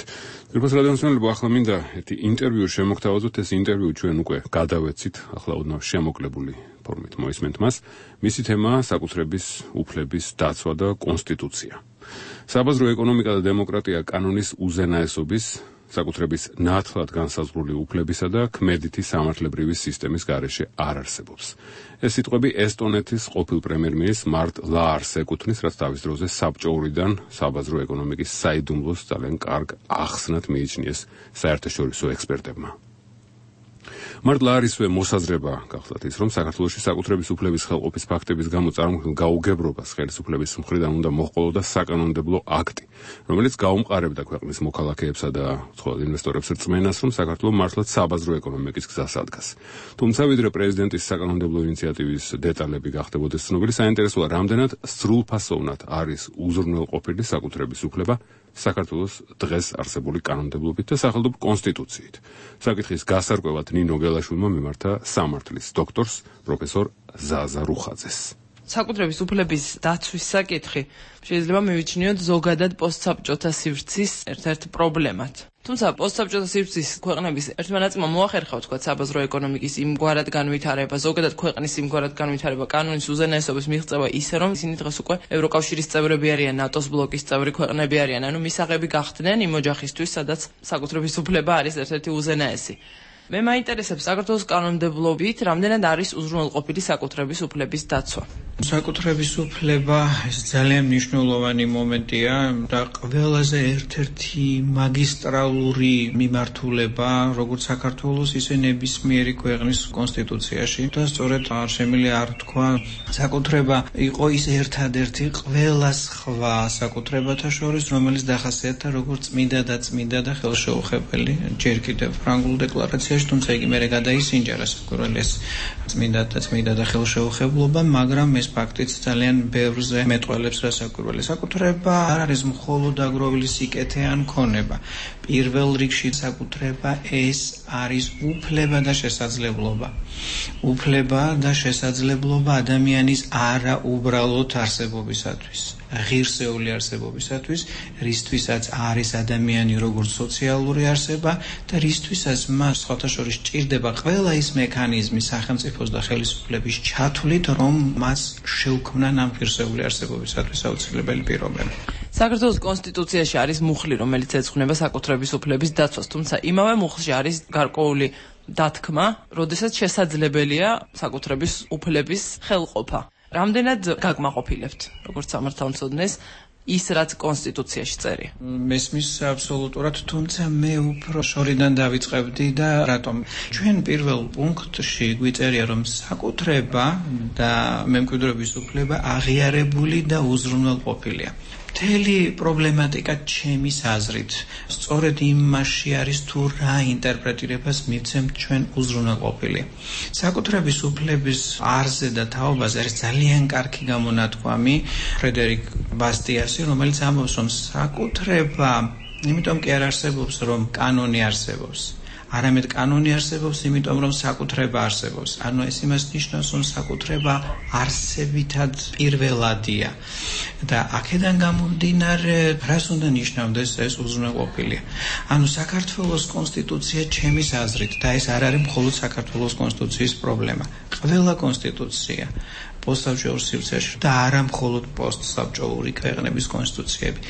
თვითონ რადიომსმენელებო, ახლა მინდა ერთი ინტერვიუ შემოგთავაზოთ, ეს ინტერვიუ ჩვენ უკვე გადავეცით, ახლა ოდნავ შემოკლებული ფორმით მოისმენთ მას. მისი თემაა საკუთრების უფლების დაცვა და კონსტიტუცია. საბაზრო ეკონომიკა და დემოკრატია კანონის უზენაესობის, საკუთრების ნათლად განსაზღვრული უფლებისა და ქმედითი სამართლებრივი სისტემის გარეშე არ არსებობს. ეს სიტყვები ესტონეთის ყოფილ პრემიერ-მინისტრს მარტ ლაარს ეკუთვნის, რაც თავის დროზე საბჭოურიდან საბაზრო ეკონომიკის საიდუმლოს ძალიან კარგ ახსნად მიიჩნიეს საერთაშორისო ექსპერტებმა. მარტ ლაარისვე მოსაზრება გახლავთ ის, რომ საქართველოში საკუთრების უფლების ხელყოფის ფაქტების გამო წარმოქმნილ გაუგებრობას ხელისუფლების მხრიდან უნდა მოჰყოლოდა საკანონმდებლო აქტი, რომელიც გაუმყარებდა ქვეყნის მოქალაქეებსა და ცხოველ ინვესტორებს რწმენას, რომ საქართველო მართლაც საბაზრო ეკონომიკის გზას ადგას. თუმცა ვიდრე პრეზიდენტის საკანონმდებლო ინიციატივის დეტალები გახდებოდეს ცნობილი, საინტერესოა, რამდენად სრულფასოვნად არის უზრუნველყოფილი საკუთრების უფლება საქართველოს დღეს არსებული კანონმდებლობით და სახელმწიფო კონსტიტუციით. საკითხის გასარკვევად ნინო გელაშვილმა მიმართა სამართლის დოქტორს პროფესორ ზაზა რუხაძეს. საკუთრების უფლების დაცვის საკითხი შეიძლება მივიჩნიოთ ზოგადად პოსტსაბჭოთა სივრცის ერთ-ერთ პრობლემად. თუმცა პოსტსაბჭოთა სივრცის ქვეყნების ერთმა ნაწილმა მოახერხა თქვა საბაზრო ეკონომიკის იმგვარად განვითარება, ზოგადად ქვეყნის იმგვარად განვითარება, კანონის უზენაესობის მიღწევა ისე რომ ისინი დღეს უკვე ევროკავშირის წევრები არიან, ნატოს ბლოკის წევრი ქვეყნები არიან, ანუ მისაღები გახდნენ იმ ოჯახისთვის, სადაც საკუთრების უფლება არის ერთ-ერთი უზენაესი. მე მაინტერესებს საქართველოს კანონმდებლობით რამდენად არის უზრუნველყოფილი საკუთრების უფლების დაცვა. საკუთრების უფლება ეს ძალიან მნიშვნელოვანი მომენტია და ყველაზე ერთ-ერთი მაგისტრალური მიმართულება როგორც საქართველოს ისე ნებისმიერი ქვეყნის კონსტიტუციაში და სწორედ არ შემიძლია არ თქვა საკუთრება იყო ის ერთადერთი ყველა სხვა საკუთრებათა შორის რომელიც დახასიათდა როგორც წმინდა და ხელშეუხებელი ჯერ კიდევ ფრანგულ დეკლარაციაში თუმცა იგი მერე გადაისინჯა რასაკვირველია წმინდა და ხელშეუხებლობა მაგრამ ეს ფაქტიც ძალიან ბევრზე მეტყველებს რასაკვირველია საკუთრება არ არის მხოლოდ აგროვილი სიკეთე ან ქონება პირველ რიგში საკუთრება ეს არის უფლება და შესაძლებლობა ადამიანის არაუბრალოდ არსებობისათვის ღირსეული არსებობისათვის რისთვისაც არის ადამიანი როგორც სოციალური არსება და რისთვისაც მას სხვათა შორის ჭირდება ყველა ის მექანიზმი სახელმწიფოს და ხელისუფლების ჩათვლით რომ მას შეუქმნან ამ ღირსეული არსებობისათვის აუცილებელი პირობები. საქართველოს კონსტიტუციაში არის მუხლი, რომელიც ეძღვნება საკუთრების უფლების დაცვას, თუმცა იმავე მუხლში არის გარკვეული დათქმა, როდესაც შესაძლებელია საკუთრების უფლების ხელყოფა. რამდენად გაგმაყოფილებთ, როგორც სამართალმცოდნეს, ის რაც კონსტიტუციაში წერია. მესმის აბსოლუტურად, თუმცა მე უფრო შორიდან დავიწყებდი და რატომ? ჩვენ პირველ პუნქტში გვიწერია, რომ საკუთრება და მემკვიდრეობის უფლება აღიარებული და უზრუნველყოფილია. მთელი პრობლემატიკა ჩემის აზრით სწორედ იმაში არის თუ რა ინტერპრეტირებას მივცემთ ჩვენ უზრუნველყოფილი. საკუთრების უფლების არზე და თაობაზე არის ძალიან კარგი გამონათქვამი ფრედერიკ ბასტიასი, რომელიც ამბობს, რომ საკუთრება იმიტომ კი არ არსებობს, რომ კანონი არსებობს. არამედ კანონი არსებობს, იმიტომ რომ საკუთრება არსებობს. ანუ ეს იმას ნიშნავს, რომ საკუთრება არსებითად პირველადია. და აქედან გამომდინარე, რას უნდა ნიშნავდეს ეს უზრუნველყოფილია. ანუ საქართველოს კონსტიტუცია ჩემის აზრით და ეს არ არის მხოლოდ საქართველოს კონსტიტუციის პრობლემა. ყველა კონსტიტუცია პოსტსაბჭოურ სივრცეში და არა მხოლოდ პოსტსაბჭოური ქვეყნების კონსტიტუციები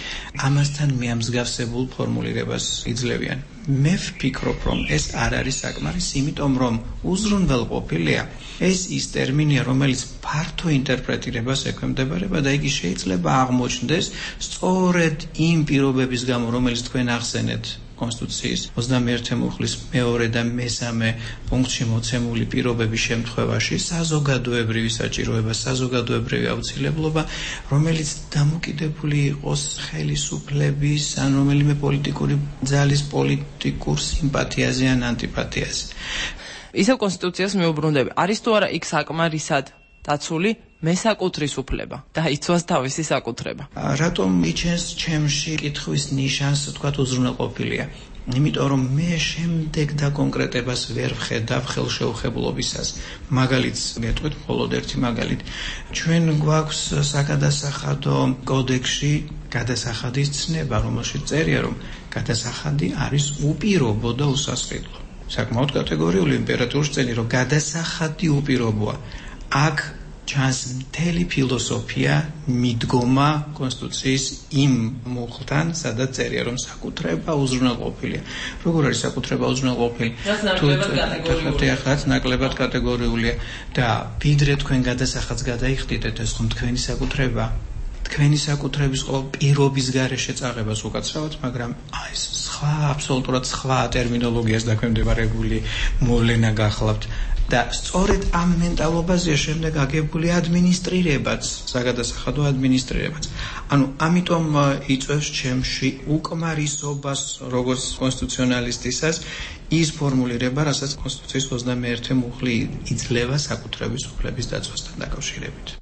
ამასთან მიამსგავსებულ ფორმულირებას იძლევიან. მე ვფიქრობ, რომ ეს არ არის საკმარისი, იმიტომ რომ უზრუნველყოფილია ეს ის ტერმინია, რომელიც ფართო ინტერპრეტირებას ექვემდებარება და იგი შეიძლება აღმოჩნდეს სწორედ იმ პირობების გამო, რომელიც თქვენ ახსენეთ კონსტიტუციის 21 მუხლის მეორე და მესამე პუნქტში მოცემული პირობების შემთხვევაში საზოგადოებრივი საჭიროება, საზოგადოებრივი აუცილებლობა, რომელიც დამოკიდებული იყოს ხელისუფლების ან რომელიმე პოლიტიკური ძალის პოლიტიკურ სიმპათიაზე ან ანტიპათიაზე. ისევ კონსტიტუციას მეუბრუნდები. არის თუ არა იქ საკმარისად დაცული მესაკუთრის უფლება და იცვას თავისი საკუთრება. რატომ იჩენს ჩემში კითხვის ნიშანს, თქვათ, უზრუნველყოფილია? იმიტომ რომ მე შემდეგ და კონკრეტებას ვერ ვხედავ ხელშეუხებლობისას. მაგალითს გეტყვით, მხოლოდ ერთი მაგალითი. ჩვენ გვაქვს საგადასახადო კოდექსში გადასახადის ცნება, რომელშიც წერია, რომ გადასახადი არის უპირობო და უსასყიდლო. საკმაოდ კატეგორიული იმპერატურის წელი, რომ გადასახადი უპირობოა. აქ ჩანს მთელი ფილოსოფია მიდგომა კონსტიტუციის იმ მუხლთან, სადაც წერია, რომ საკუთრება უზრუნველყოფილია. როგორ არის საკუთრება უზრუნველყოფილი? თუ ნაკლებად კატეგორიულია და ვიდრე თქვენ გადასახადს გადაიხდიდეთ, ეს ხომ თქვენი საკუთრება? თქვენი საკუთრების ყოველ პირობის გარეშე წაღებას უკაცრავად, მაგრამ ეს სხვა, აბსოლუტურად სხვა ტერმინოლოგიას დაქვემდებარებული მოვლენა გახლავთ. და სწორედ ამ მენტალობაზეა შემდეგ აგებული ადმინისტრირებაც, საგადასახადო ადმინისტრირებაც. ანუ ამიტომ იწვევს ჩემში უკმარისობას როგორც კონსტიტუციონალისტისას ის ფორმულირება, რასაც კონსტიტუციის 21 მუხლი იძლევა საკუთრების უფლების დაცვასთან დაკავშირებით.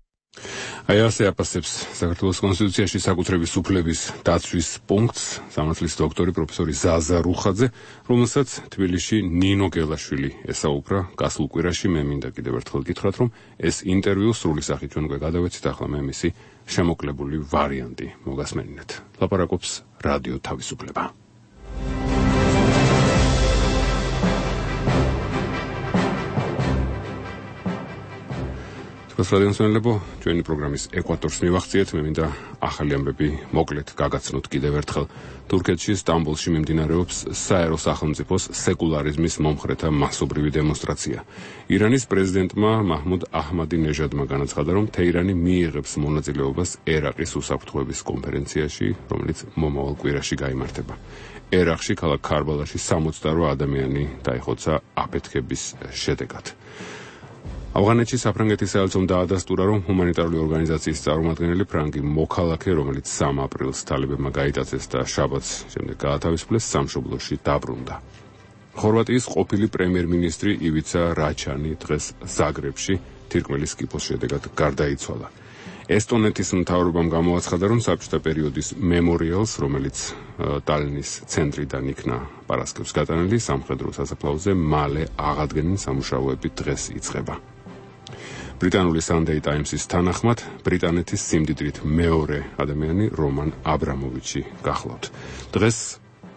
აი ასე აფასებს საქართველოს კონსტიტუციაში საკუთრების უფლების დაცვის პუნქტს სამართლის დოქტორი პროფესორი ზაზა რუხაძე, რომელსაც თბილისში ნინო გელაშვილი ესაუბრა გასულ კვირაში. მე მინდა კიდევ ერთხელ გითხრათ, რომ ეს ინტერვიუ სრული სახით ჩვენ გადავეცით, ახლა მე მისი შემოკლებული ვარიანტი მოგასმენინეთ. ლაპარაკობს რადიო თავისუფლება. რადიოსმენელებო, ჩვენი პროგრამის ეკვატორს მივახციეთ. მე მინდა ახალი ამბები მოკლედ გაგაცნოთ კიდევ ერთხელ. თურქეთში სტამბოლში მიმდინარეობს საერო სახელმწიფოს სეკულარიზმის მომხრეთა მასობრივი დემონსტრაცია. ირანის პრეზიდენტმა მაჰმუდ აჰმადინეჟადმა განაცხადა, რომ თეირანი მიიღებს მონაწილეობას ერაყის უსაფრთხოების კონფერენციაში, რომელიც მომავალ კვირაში გაიმართება. ერაყში ქალაქ ქარბალაში 68 ადამიანი დაიხოცა აფეთქების შედეგად. ავღანეთში საფრანგეთის საელჩომ დაადასტურა, რომ ჰუმანიტარული ორგანიზაციის წარმომადგენელი ფრანგი მოქალაქე, რომელიც 3 აპრილს თალებებმა გაიტაცეს და შაბათს შემდეგ გაათავისუფლეს, სამშობლოში დაბრუნდა. ხორვატიის ყოფილი პრემიერ-მინისტრი ივიცა რაჩანი დღეს ზაგრებში თირკმელის კიფოს შედეგად გარდაიცვალა. ესტონეთის მთავრობამ გამოაცხადა, რომ საბჭოთა პერიოდის მემორიალს, რომელიც ტალინის ცენტრიდან იქნა პარასკევს გატანილი სამხედრო სასაფლაოზე, მალე აღადგენენ სამუშაოები დღეს იწყება. ბრიტანული Sunday Times-ის თანახმად, ბრიტანეთის სიმდიდრით მეორე ადამიანი რომან აბრამოვიჩი გახლავთ. დღეს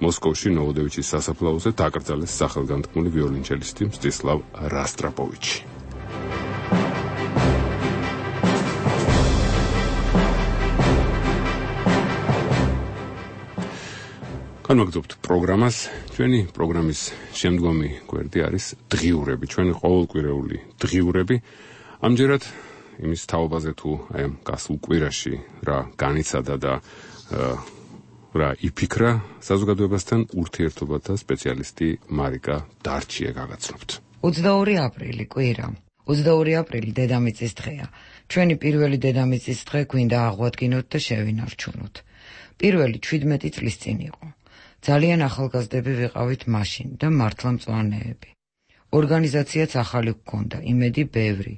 მოსკოვში ნოვოდევიჩის სასაფლაოზე დაკრძალეს სახელგანთქმული ვიოლინჩელისტი მსტისლავ რასტრაპოვიჩი. განვაგრძობთ პროგრამას. ჩვენი პროგრამის შემდგომი გვერდი არის დღიურები, ჩვენი ყოველკვირეული დღიურები. ამჯერად იმის თაობაზე თუ აი ამ გასულ კვირაში რა განიცადა და რა იფიქრა საზოგადოებასთან ურთიერთობათა სპეციალისტი მარიკა დარჩია გაგაცნობთ. 22 აპრილი კვირა. 22 აპრილი დედამიწის დღეა. ჩვენი პირველი დედამიწის დღე გვინდა აღვადგინოთ და შევინარჩუნოთ. პირველი 17 წლის წინ იყო. ძალიან ახალგაზრდები ვიყავით მაშინ და მართლა მწვანეები. ორგანიზაციაც ახალი გვქონდა, იმედი ბევრი,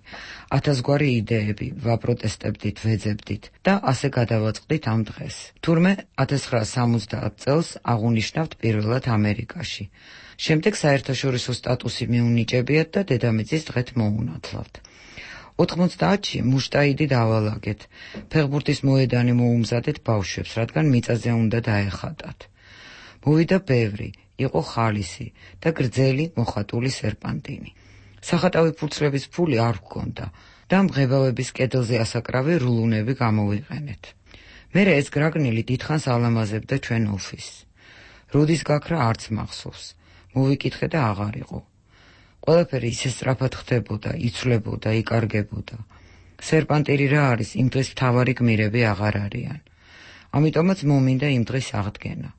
1000 გვარი იდეები, ვაპროტესტებდით, ვეძებდით და ასე გადავაწყდით ამ დღეს. თურმე 1970 წელს აღუნიშნავთ პირველად ამერიკაში. შემდეგ საერთაშორისო სტატუსი მიუნიჭებიათ და დედამიწის დღეთ მოუნათლავთ. 90-ში მუშტაიდი დავალაგეთ. ფეხბურთის მოედანი მოუმზადეთ ბავშვებს, რადგან მიწაზე უნდა დაეხატათ. მოვიდა ბევრი, იყო ხალისი და გრძელი მოხატული სერპანტინი. სახატავი ფურცლების ფული არ გვქონდა და მღებავების კედელზე ასაკრავი რულუნები გამოვიყენეთ. მერე ეს გრაგნილი დიდხანს ალამაზებდა ჩვენ ოფისს. როდის გაქრა არც მახსოვს. მოვიკითხე და აღარ იყო. ყველაფერი ისე სწრაფად ხდებოდა, იცვლებოდა, იკარგებოდა. სერპანტირი რა არის, იმ დღეს მთავარი გმირები აღარ არიან. ამიტომაც მომინდა იმ დღის აღდგენა.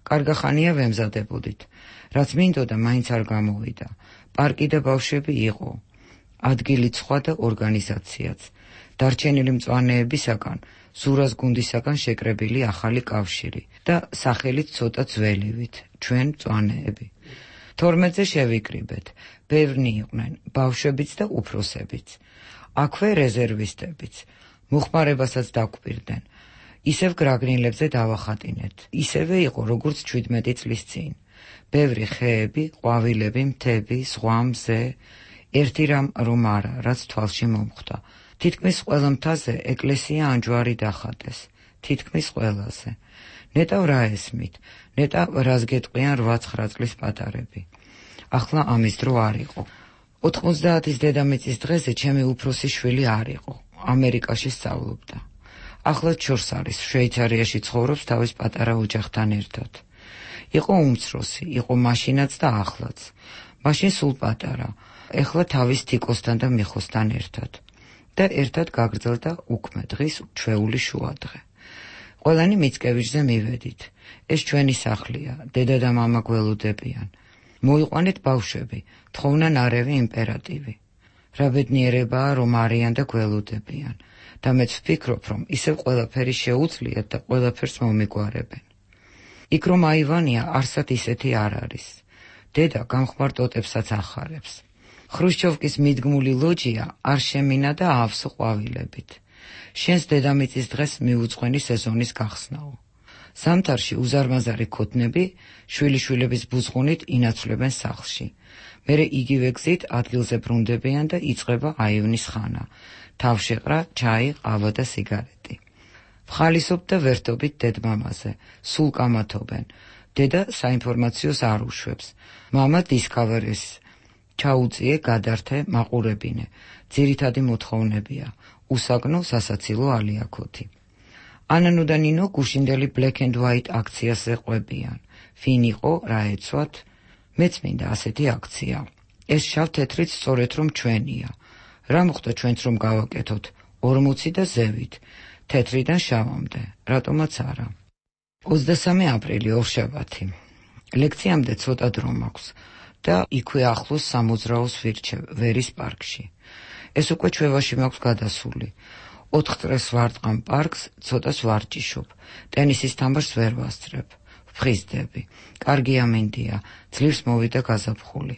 კარგახანია ვემზადებოდით. რაც მინდოდა, მაინც არ გამოვიდა. პარკი და ბავშვები იყო. ადგილი სხვა და ორგანიზაციაც. დარჩენილი მწვანეებისაგან, ზურას გუნდისაგან შეკრებილი ახალი კავშირი და სახელით ცოტა ძველივით, ჩვენ მწვანეები. 12-ზე შევიკრიბეთ. ბევრნი იყვნენ, ბავშვებიც და უფროსებიც. აქვე რეზერვისტებიც. მოხმარებასაც დაგვპირდნენ. ისევ გრაგნილებზე დავახატინეთ. ისევე იყო, როგორც 17 წლის წინ. ბევრი ხეები, ყვავილები, მთები, ზღვა, მზე. ერთი რამ რომ არა, რაც თვალში მომხვდა. თითქმის ყველა მთაზე ეკლესია ანჯვარი დახატეს. თითქმის ყველაზე. ნეტავ რა ესმით, ნეტავ რას გეტყვიან 8-9 წლის პატარები. ახლა ამის დრო არ იყო. 90-ის დედამიწის დღეზე ჩემი უფროსი შვილი არ იყო. ამერიკაში სწავლობდა. ახლა ჩორს არის, შვეიცარიაში ცხოვრობს თავის პატარა ოჯახთან ერთად. იყო უმცროსი, იყო მაშინაც და ახლაც. მაშინ სულ პატარა, ეხლა თავის თიკოსთან და მიხოსთან ერთად. და ერთად გაგრძელდა უქმე დღის ჩვეული შუადღე. ყველანი მიცკევიჩზე მივედით. ეს ჩვენი სახლია, დედა და მამა გველოდებიან. მოიყვანეთ ბავშვები, თხოვნა ნარევი იმპერატივი. რა ბედნიერებაა, რომ არიან და გველოდებიან. და მეც ვფიქრობ, რომ ისევ ყველაფერი შეუძლიათ და ყველაფერს მომიგვარებენ. იქ რომ აივანია, არსად ისეთი არ არის. დედა გამხმარ ტოტებსაც ახარებს. ხრუშჩოვკის მიდგმული ლოჯია არ შემინა და ავსო ყვავილებით. შენს დედამიწის დღეს მიუძღვენი სეზონის გახსნაო. ზამთარში უზარმაზარი ქოთნები შვილიშვილების ბუზღუნით ინაცვლებენ სახლში. მერე იგივე გზით ადგილზე ბრუნდებიან და იწყება აივნის ხანა. თავშეყრა, ჩაი, ყავა და სიგარეტი. ვხალისობთ და ვერთობით დედმამაზე, სულ კამათობენ. დედა საინფორმაციოს არ უშვებს. მამა დისკავერის. ჩაუწიე, გადართე, მაყურებინე. ძირითადი მოთხოვნებია. უსაგნო, სასაცილო ალიაქოთი. ანანო და ნინო გუშინდელი Black and White აქციაზე ყვებიან. ვინ იყო, რა ეცვათ? მეც მინდა ასეთი აქცია. ეს შავ-თეთრიც სწორედ რომ ჩვენია. რა მოხდა ჩვენც რომ გავაკეთოთ? 40 და ზევით. თეთრიდან შავამდე. რატომაც არა. 23 აპრილი ორშაბათი. ლექციამდე ცოტა დრო მაქვს და იქვე ახლოს სამოძრაოს ვირჩევ ვერის პარკში. ეს უკვე ჩვევაში მაქვს გადასული. 4 წრეს ვარტყამ პარკს, ცოტას ვარჯიშობ. ტენისის თამაშს ვერ ვასწრებ. ვფხიზდები. კარგი ამინდია, ძლივს მოვიდა გაზაფხული.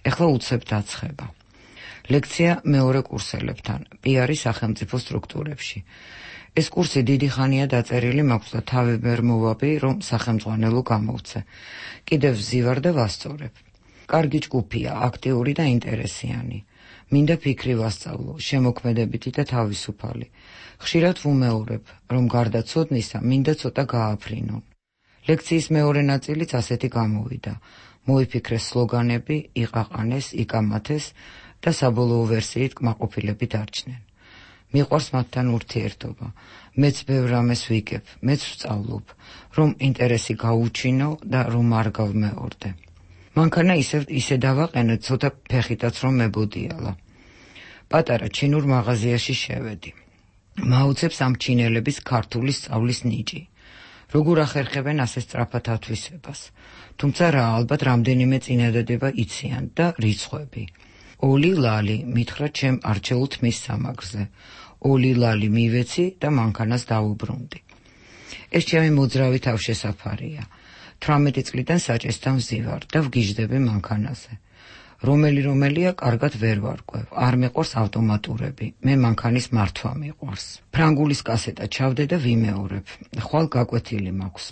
ეხლა უცებ დაცხება. ლექცია მეორე კურსელებთან, პიარი სახელმწიფო სტრუქტურებში. ეს კურსი დიდი ხანია დაწერილი მაქვს და თავი ვერ მოვაბი, რომ სახელმძღვანელო გამოვცე. კიდევ ვზივარ და ვასწორებ. კარგი ჯგუფია, აქტიური და ინტერესიანი. მინდა ფიქრი ვასწავლო, შემოქმედებითი და თავისუფალი. ხშირად ვუმეორებ, რომ გარდა ცოდნისა, მინდა ცოტა გააფრინონ. ლექციის მეორე ნაწილიც ასეთი გამოვიდა. მოიფიქრეს სლოგანები, იყაყანეს, იკამათეს და საბოლოო ვერსიით კმაყოფილები დარჩნენ. მიყვარს მათთან ურთიერთობა. მეც ბევრ რამეს ვიგებ, მეც ვსწავლობ, რომ ინტერესი გაუჩინო და რომ არ გავმეორდე. მანქანა ისე დავაყენე, ცოტა ფეხითაც რომ მებოდიალა. პატარა ჩინურ მაღაზიაში შევედი. მაუცებს ამ ჩინელების ქართული სწავლის ნიჭი. როგორ ახერხებენ ასე სწრაფად ათვისებას. თუმცა რა, ალბათ რამდენიმე წინადადება იციან და რიცხვები. ოლი ლალი მითხრა ჩემ არჩეულ თმის სამაგრზე. ოლი ლალი მივეცი და მანქანას დაუბრუნდი. ეს ჩემი მოძრავი თავშესაფარია. 18 წლიდან საჭესთან ვზივარ და ვგიჟდები მანქანაზე. რომელია კარგად ვერ ვარკვევ, არ მეყვარს ავტომატურები, მე მანქანის მართვა მიყვარს. ფრანგულის კასეტა ჩავდე და ვიმეორებ. ხვალ გაკვეთილი მაქვს.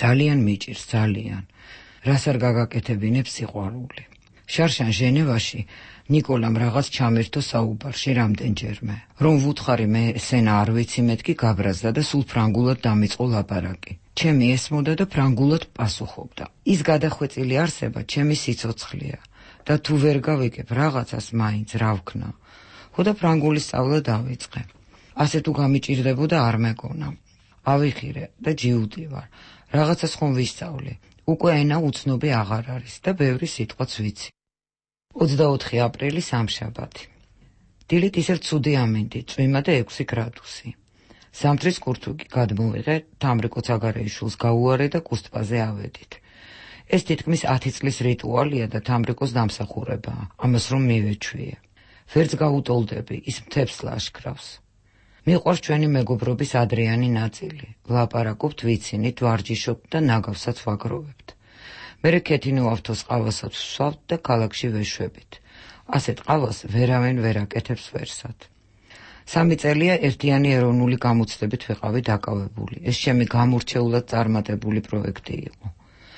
ძალიან მიჭირს, ძალიან. რას არ გაგაკეთებინებ სიყვარული. შარშან ჟენევაში ნიკოლამ რაღაც ჩამერთო საუბარში რამდენჯერმე. რომ ვუთხარი მე ესენა არ ვიცი, მეთქი გაბრაზდა და სულ ფრანგულად დამიწყო ლაპარაკი. ჩემი ესმოდა და ფრანგულად პასუხობდა. ის გადახვეწილი არსება ჩემი სიცოცხლეა. და თუ ვერ გავიგებ რაღაცას მაინც რა ვქნა. ხო და ფრანგული სწავლა დავიწყე. ასე თუ გამიჭირდებოდა არ მეგონა. ავიხირე და ჯიუტი ვარ. რაღაცას ხომ ვისწავლე. უკვე ენა უცნობი აღარ არის და ბევრი სიტყვაც ვიცი. 24 აპრილი სამშაბათი. დილით ისევ ცუდი ამინდი, წვიმა და 6 გრადუსი. ზამთრის კურთუგი გადმოვიღე, თამრიკო ცაგარეიშვილს გაუარე და კუსტპაზე ავედით. ეს თითქმის 10 წლის რიტუალია და თამრიკოს დამსახურებაა, ამას რომ მივეჩვიე. ვერც გაუტოლდები, ის მთებს ლაშქრავს. მიყვარს ჩვენი მეგობრობის ადრიანი ნაწილი. ვლაპარაკობთ, ვიცინით, ვარჯიშობთ და ნაგავსაც ვაგროვებთ. მერე ქეთინო ავთოს ყავასაც ვსვავთ და ქალაქში ვეშვებით. ასეთ ყავას ვერავენ ვერ აკეთებს ვერსად. 3 წელია ერთიანი ეროვნული გამოცდებით ვიყავი დაკავებული. ეს ჩემი გამორჩეულად წარმატებული პროექტი იყო.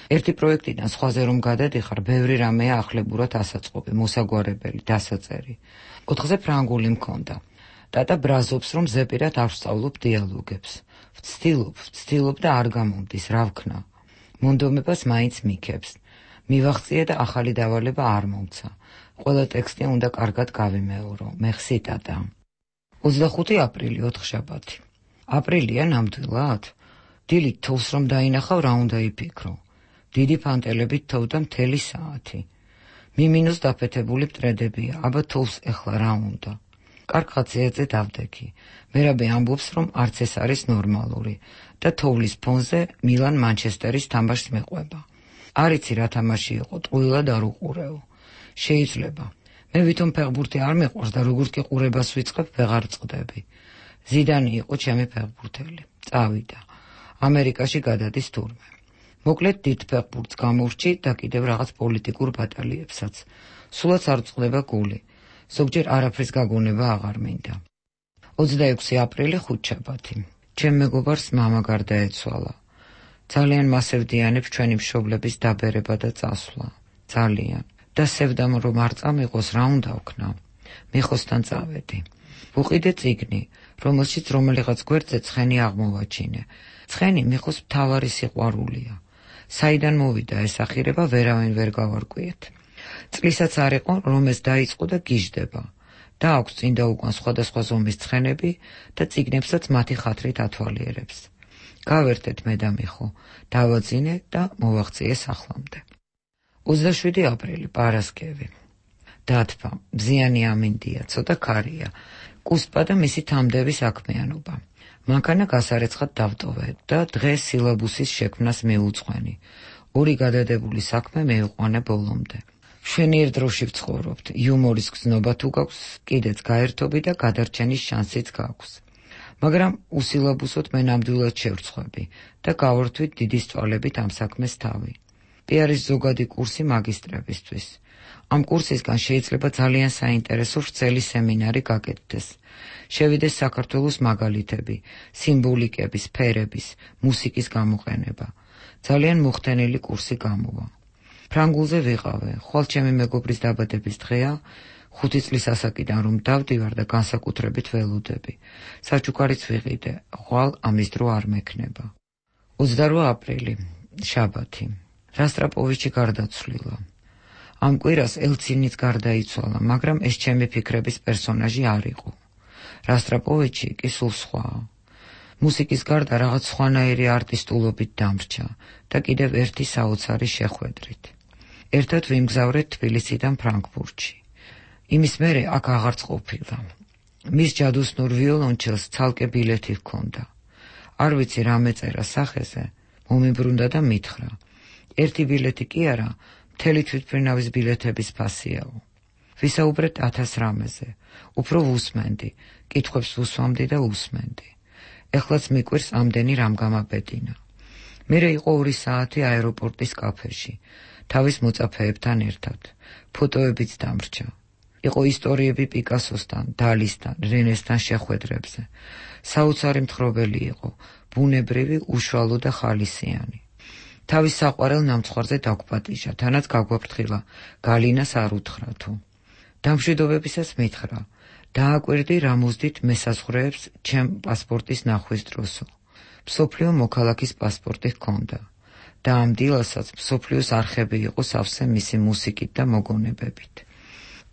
ერთი პროექტიდან სხვაზე რომ გადადიხარ, ბევრი რამეა ახლებურად ასაწყობი, მოსაგვარებელი, დასაწერი. 4-ზე ფრანგული მქონდა. დატა ბრაზობს, რომ ზეპირად არ ვსწავლობ დიალოგებს. ვცდილობ და არ გამომდის, რა ვქნა. მონდომებას მაინც მიქებს. მივახციე და ახალი დავალება არ მომცა. ყველა ტექსტი უნდა კარგად გავიმეორო. მეხსი დადა. 25 აპრილი ოთხშაბათი. აპრილია ნამდვილად? დილით თოვს რომ დაინახავ, რა უნდა იფიქრო. დიდი ფანტელებით თოვდა მთელი საათი. მიმინოს დაფეთებული მტრედებია, აბა თოვს ეხლა რა უნდა. კარგ ხაციაზე დავდექი. მერაბე ამბობს, რომ არც ეს არის ნორმალური და თოვლის ფონზე მილან მანჩესტერის თამაშს მეყვება. არ იცი რა თამაში იყო, ტყუილად არ უყურეო. შეიძლება. მე ვითომ ფეხბურთი არ მეყვარს და როგორც კი ყურებას ვიწყებ, ვეღარ წყდები. ზიდანი იყო ჩემი ფეხბურთელი. წავიდა. ამერიკაში გადადის თურმე. მოკლედ დიდ ფეხბურთს გამორჩი და კიდევ რაღაც პოლიტიკურ ბატალიებსაც. სულაც არ წყდება გული. ზოგჯერ არაფრის გაგონება აღარ მინდა. 26 აპრილი ხუთშაბათი. ჩემ მეგობარს მამა გარდაეცვალა. ძალიან მასევდიანებს ჩვენი მშობლების დაბერება და წასვლა. ძალიან. და სევდამ რომ არ წამიყოს რა უნდა ვქნა. მიხოსთან წავედი. ვუყიდე წიგნი, რომელშიც რომელიღაც გვერდზე ცხენი აღმოვაჩინე. ცხენი მიხოს მთავარი სიყვარულია. საიდან მოვიდა ეს ახირება ვერავინ ვერ გავარკვიეთ. წლისაც არ იყო რომ ეს დაიწყო და გიждდება. და აქვს წინ და უკან სხვადასხვა ზომის ცხენები და წიგნებსაც მათი ხათრით ათვალიერებს. გავერთეთ მე და მიხო, დავაძინე და მოვაღწიე სახლამდე. 27 აპრილი პარასკევი. დათბა, მზიანი ამინდია, ცოტა ქარია, კუსპა და მისი თამდები საქმიანობა. მანქანა გასარეცხად დავტოვე და დღეს სილაბუსის შექმნას მიუძღვენი. 2 გადადებული საქმე მივიყვანე ბოლომდე. შვენიერ დროში ვცხოვრობთ, იუმორის გზნობა თუ გაქვს, კიდეც გაერთობი და გადარჩენის შანსიც გაქვს. მაგრამ უსილაბუსოდ მე ნამდვილად შევრცხვები და გავართვით დიდი სწვალებით ამ საქმეს თავი. პიარის ზოგადი კურსი მაგისტრებისთვის. ამ კურსისგან შეიძლება ძალიან საინტერესო ვრცელი სემინარი გაკეთდეს. შევიდეს საქართველოს მაგალითები, სიმბოლიკების, ფერების, მუსიკის გამოყენება. ძალიან მოხდენილი კურსი გამოვა. ფრანგულზე ვიყავე, ხვალ ჩემი მეგობრის დაბადების დღეა, 5 წლის ასაკიდან რომ დავდივარ და განსაკუთრებით ველოდები. საჩუქარიც ვიყიდე, ხვალ ამის დრო არ მექნება. 28 აპრილი, შაბათი. რასტრაპოვიჩი გარდაცვლილა. ამ კვირას ელცინიც გარდაიცვალა, მაგრამ ეს ჩემი ფიქრების პერსონაჟი არ იყო. რასტრაპოვიჩი კი სულ სხვაა. მუსიკის გარდა რაღაც სხვანაირი არტისტულობით დამრჩა და კიდევ ერთი საოცარი შეხვედრით. ერთად ვიმგზავრეთ თბილისიდან ფრანკფურტში. იმის მერე აქ აღარც ყოფილა. მის ჯადოსნურ ვიოლონჩელს ცალკე ბილეთი ჰქონდა. არ ვიცი რა მეწერა სახეზე, მომიბრუნდა და მითხრა. ერთი ბილეთი კი არა, მთელი თვითმფრინავის ბილეთების ფასიაო. ვისაუბრეთ 1000 რამეზე. უფრო ვუსმენდი, კითხვებს ვუსვამდი და უსმენდი. ეხლაც მიკვირს ამდენი რამ გამაბედინა. მერე იყო 2 საათი აეროპორტის კაფეში, თავის მოწაფეებთან ერთად. ფოტოებიც დამრჩა. იყო ისტორიები პიკასოსთან, დალისთან, რენესთან შეხვედრებზე. საოცარი მთხრობელი იყო, ბუნებრივი, უშუალო და ხალისიანი. თავის საყვარელ ნამცხვარზე დაგვპატიჟა, თანაც გაგვაფრთხილა, გალინას არ უთხრა თუ. დამშვიდობებისას მითხრა, დააკვირდი რა მოზდით მესაზღვრეებს ჩემ პასპორტის ნახვის დროსო. მსოფლიო მოქალაქის პასპორტი ჰქონდა და ამ დილასაც მსოფლიოს არხები იყო სავსე მისი მუსიკით და მოგონებებით.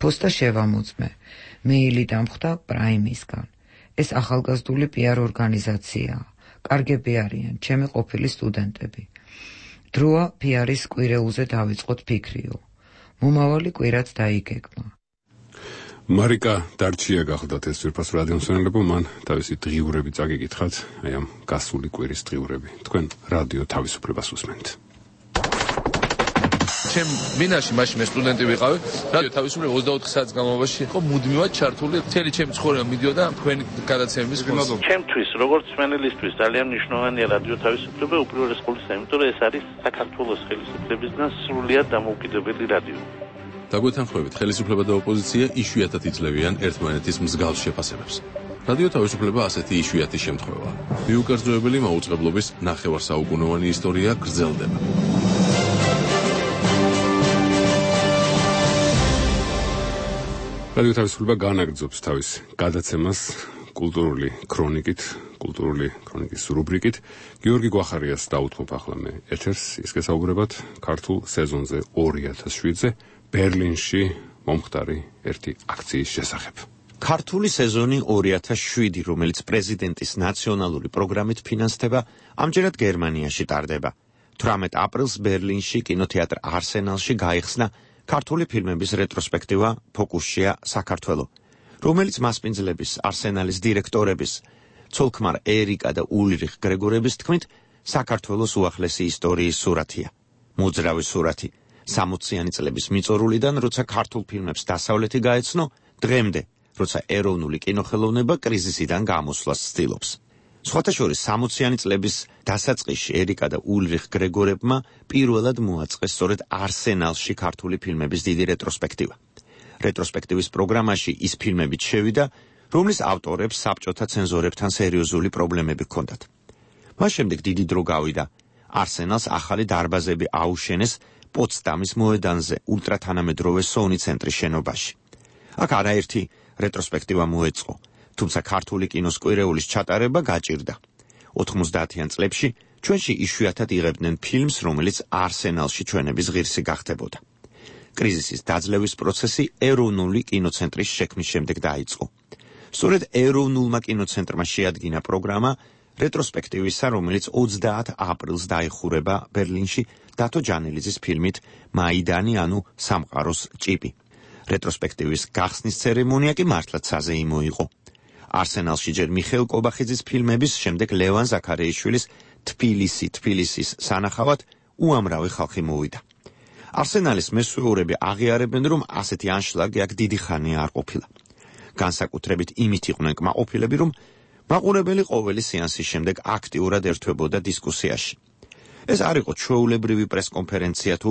პოსტა შევამოწმე, მეილი დამხვდა პრაიმისგან. ეს ახალგაზრდული პიარ ორგანიზაციაა. კარგები არიან, ჩემი ყოფილი სტუდენტები. დროა პიარის კვირეულზე დავიწყოთ ფიქრიო. მომავალი კვირაც დაიგეგმა. მარიკა დარჩია გახლდათ ეს ვირფას რადიო მსმენელებო, მან თავისი დღიურები წაგიკითხათ, აი ამ გასული კვირის დღიურები. თქვენ რადიო თავისუფლებას უსმენთ. ჩემ მინაში მაშინ მე სტუდენტი ვიყავი, რადიო თავისუფლება 24 საათის განმავლობაში იყო მუდმივად ჩართული, მთელი ჩემი ცხოვრება მიდიოდა თქვენი გადაცემების ხმაზე. ჩემთვის, როგორც მსმენელისთვის ძალიან მნიშვნელოვანია რადიო თავისუფლება უპირველეს ყოვლისა, იმიტომ რომ ეს არის საქართველოს ხელისუფლებისგან სრულიად დამოუკიდებელი რადიო. დაგვეთანხმებით, ხელისუფლება და ოპოზიცია იშვიათად იძლევიან ერთმანეთის მსგავს შეფასებებს. რადიო თავისუფლება ასეთი იშვიათი შემთხვევაა. მიუკერძოებელი მაუწყებლობის ნახევარსაუკუნოვანი ისტორია გრძელდება. რადიო თავისუფლება განაგრძობს თავის გადაცემას კულტურული ქრონიკით, კულტურული ქრონიკის რუბრიკით. გიორგი გვახარიას დაუთმობ ახლა მე ეთერს, ის გესაუბრებათ ქართულ სეზონზე 2007-ზე ბერლინში მომხდარი ერთი აქციის შესახებ. ქართული სეზონი 2007, რომელიც პრეზიდენტის ნაციონალური პროგრამით ფინანსდება, ამჯერად გერმანიაში ტარდება. 18 აპრილს ბერლინში კინოთეატრ არსენალში გაიხსნა ქართული ფილმების რეტროსპექტივა ფოკუსშია საქართველო, რომელიც მასპინძლების არსენალის დირექტორების ცოლ-ქმარ ერიკა და ულრიხ გრეგორების თქმით საქართველოს უახლესი ისტორიის სურათია. მოძრავი სურათი 60-იანი წლების მიწორულიდან, როცა ქართულ ფილმებს დასავლეთი გაეცნო, დღემდე, როცა ეროვნული კინოხელოვნება კრიზისიდან გამოსვლას ცდილობს. სხვათა შორის 60-იანი წლების დასაწყისში ერიკა და ულრიხ გრეგორებმა პირველად მოაწყეს სწორედ არსენალში ქართული ფილმების დიდი რეტროსპექტივა. რეტროსპექტივის პროგრამაში ის ფილმებიც შევიდა, რომლის ავტორებს საბჭოთა ცენზორებთან სერიოზული პრობლემები ჰქონდათ. მას შემდეგ დიდი დრო გავიდა. არსენალს ახალი დარბაზები აუშენეს პოტსდამის მოედანზე, ულტრათანამედროვე სონი ცენტრის შენობაში. აქ არაერთი რეტროსპექტივა მოეწყო, თუმცა ქართული კინოს კვირეულის ჩატარება გაჭირდა. 90-იან წლებში ჩვენში იშვიათად იღებდნენ ფილმს, რომელიც არსენალში ჩვენების ღირსი გახდებოდა. კრიზისის დაძლევის პროცესი ეროვნული კინოცენტრის შექმნის შემდეგ დაიწყო. სწორედ ეროვნულმა კინოცენტრმა შეადგინა პროგრამა რეტროსპექტივისა, რომელიც 30 აპრილს დაიხურება ბერლინში დათო ჯანელიძის ფილმით მაიდანი, ანუ სამყაროს ჭიპი. რეტროსპექტივის გახსნის ცერემონია კი მართლაც საზეიმო იყო. არსენალში ჯერ მიხეილ კობახიძის ფილმების, შემდეგ ლევან ზაქარეიშვილის თბილისის სანახავად უამრავი ხალხი მოვიდა. არსენალის მესვეურები აღიარებენ, რომ ასეთი ანშლაგი აქ დიდი ხანია არ ყოფილა. განსაკუთრებით იმით იყვნენ კმაყოფილები, რომ მაყურებელი ყოველი სეანსის შემდეგ აქტიურად ერთვებოდა დისკუსიაში. ეს არ იყო ჩვეულებრივი პრესკონფერენცია თუ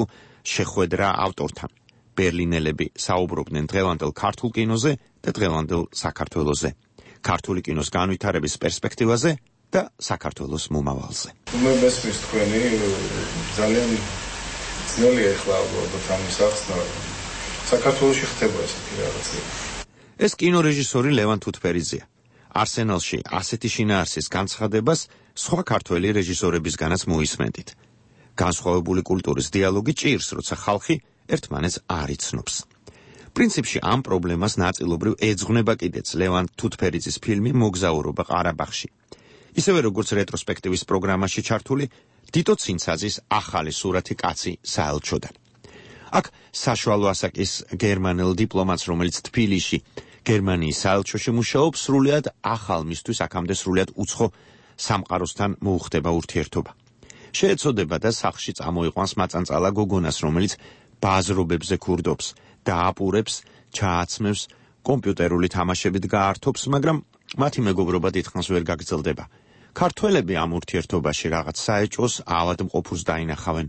შეხვედრა ავტორთან. ბერლინელები საუბრობდნენ დღევანდელ ქართულ კინოზე და დღევანდელ საქართველოზე, ქართული კინოს განვითარების პერსპექტივაზე და საქართველოს მომავალზე. მე მესმის თქვენი ძალიან ძნელია ახლა ალბათ ამის ახსნა. საქართველოში ხდება ესეთი რაღაცა. ეს კინორეჟისორი ლევან თუთფერიძეა. არსენალში ასეთი შინაარსის განცხადებას სხვა ქართველი რეჟისორებისგანაც მოისმენდით. განსხვავებული კულტურის დიალოგი ჭირს, როცა ხალხი ერთმანეთს არ იცნობს. პრინციპში ამ პრობლემას ნაწილობრივ ეძღვნება კიდეც ლევან თუთფერიძის ფილმი მოგზაურობა ყარაბაღში. ისევე როგორც რეტროსპექტივის პროგრამაში ჩართული დიტო ცინცაძის ახალი სურათი კაცი საელჩოდან. აქ საშუალო ასაკის გერმანელ დიპლომატს, რომელიც თბილისში გერმანიის საელჩოში მუშაობს, სრულიად ახალ მისთვის აქამდე სრულიად უცხო სამყაროსთან მოუხდება ურთიერთობა. შეეცოდება და სახლში წამოიყვანს მაწანწალა გოგონას, რომელიც ბაზრობებზე ქურდობს, დააპურებს, ჩააცმევს, კომპიუტერული თამაშებით გაართობს, მაგრამ მათი მეგობრობა დიდხანს ვერ გაგრძელდება. ქართველები ამ ურთიერთობაში რაღაც საეჭვოს ავადმყოფურს დაინახავენ.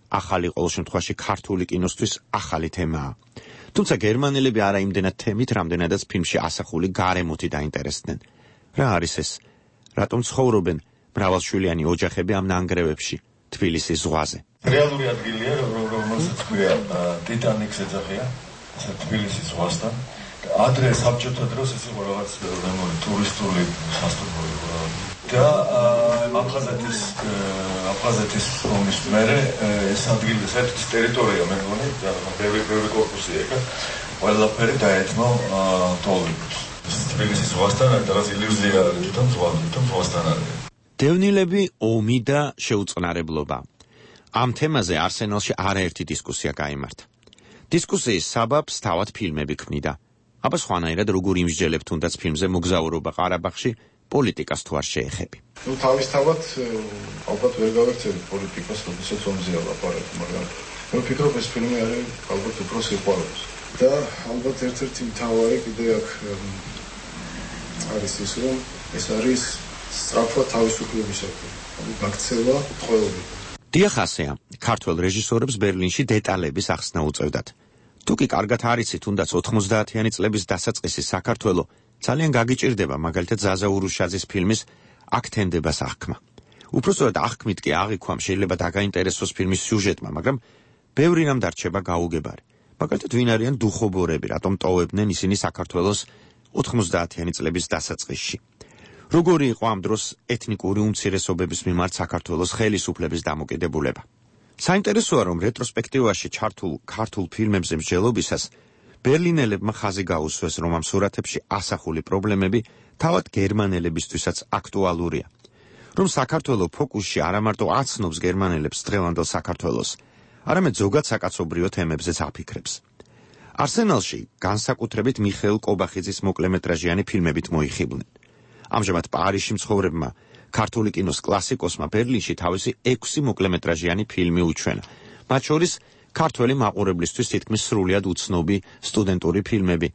ახალი ყოველ შემთხვევაში ქართული კინოსთვის ახალი თემაა. თუმცა გერმანელები არა იმდენად თემით, რამდენადაც ფილმში ასახული გარემოთი დაინტერესდნენ. რა არის ეს? რატომ ცხოვრობენ მრავალშვილიანი ოჯახები ამ ნანგრევებში, თბილისის ზღვაზე? რეალური ადგილია, რომელსაც ქვია ტიტანიკს ეძახიან, ასე თბილისის ზღვასთან. ადრე საბჭოთა დროს ეს იყო რაღაც ტურისტული სასტუმრო და აფხაზეთის ომის მერე ეს ადგილი, ეს ტერიტორია მე მგონი, ბევრი კორპუსია იქ, ყველაფერი დაეთმო ტოლიბს. თბილისის ზღვასთან რაღაც ილუზია არის, თვითონ ზღვასთან არის. დევნილები, ომი და შეუწყნარებლობა. ამ თემაზე არსენალში არაერთი დისკუსია გაიმართა. დისკუსიის საბაბს თავად ფილმები ქმნიდა. აბა სხვანაირად როგორ იმსჯელებ თუნდაც ფილმზე მოგზაურობა ყარაბაღში პოლიტიკას თუ არ შეეხები. თავისთავად ალბათ ვერ გავექცევით პოლიტიკას, როდესაც ომზეა ლაპარაკი, მაგრამ მე ვფიქრობ ეს ფილმი არის ალბათ უფრო სიყვარულს. და ალბათ ერთ-ერთი მთავარი კიდე აქ არის ის, რომ ეს არის სწრაფვა თავისუფლებისათვის, გაქცევა ყოველდღე. დიახ, ასეა, ქართველ რეჟისორებს ბერლინში დეტალების ახსნა უწევდათ. თუ კი კარგად არიცი თუნდაც 90-იანი წლების დასაწყისი საქართველო ძალიან გაგიჭირდება მაგალითად ზაზა ურუშაძის ფილმის აქ თენდებას აღქმა. უпроსტად აღქმით კი აღიქვამ შეიძლება დაგაინტერესოს ფილმის სიუჟეტმა, მაგრამ ბევრი რამ დარჩება გაუგებარი. მაგალითად ვინ არიან დუხობორები, რატომ ტოვებდნენ ისინი საქართველოს 90-იანი წლების დასაწყისში. როგორი იყო ამ დროს ეთნიკური უმცირესობების მიმართ საქართველოს ხელისუფლების დამოკიდებულება. საინტერესოა, რომ რეტროსპექტივაში ჩართულ ქართულ ფილმებზე მსჯელობისას ბერლინელებმა ხაზი გაუსვეს, რომ ამ სურათებში ასახული პრობლემები თავად გერმანელებისთვისაც აქტუალურია. რომ საქართველო ფოკუსში არა მარტო აცნობს გერმანელებს დღევანდელ საქართველოს, არამედ ზოგად საკაცობრიო თემებზეც აფიქრებს. არსენალში განსაკუთრებით მიხეილ კობახიძის მოკლემეტრაჟიანი ფილმებით მოიხიბლნენ. ამჟამად პარიზში მცხოვრებმა ქართული კინოს კლასიკოსმა ბერლინში თავისი 6 მოკლემეტრაჟიანი ფილმი უჩვენა. მათ შორის ქართველი მაყურებლისთვის თითქმის სრულიად უცნობი სტუდენტური ფილმები,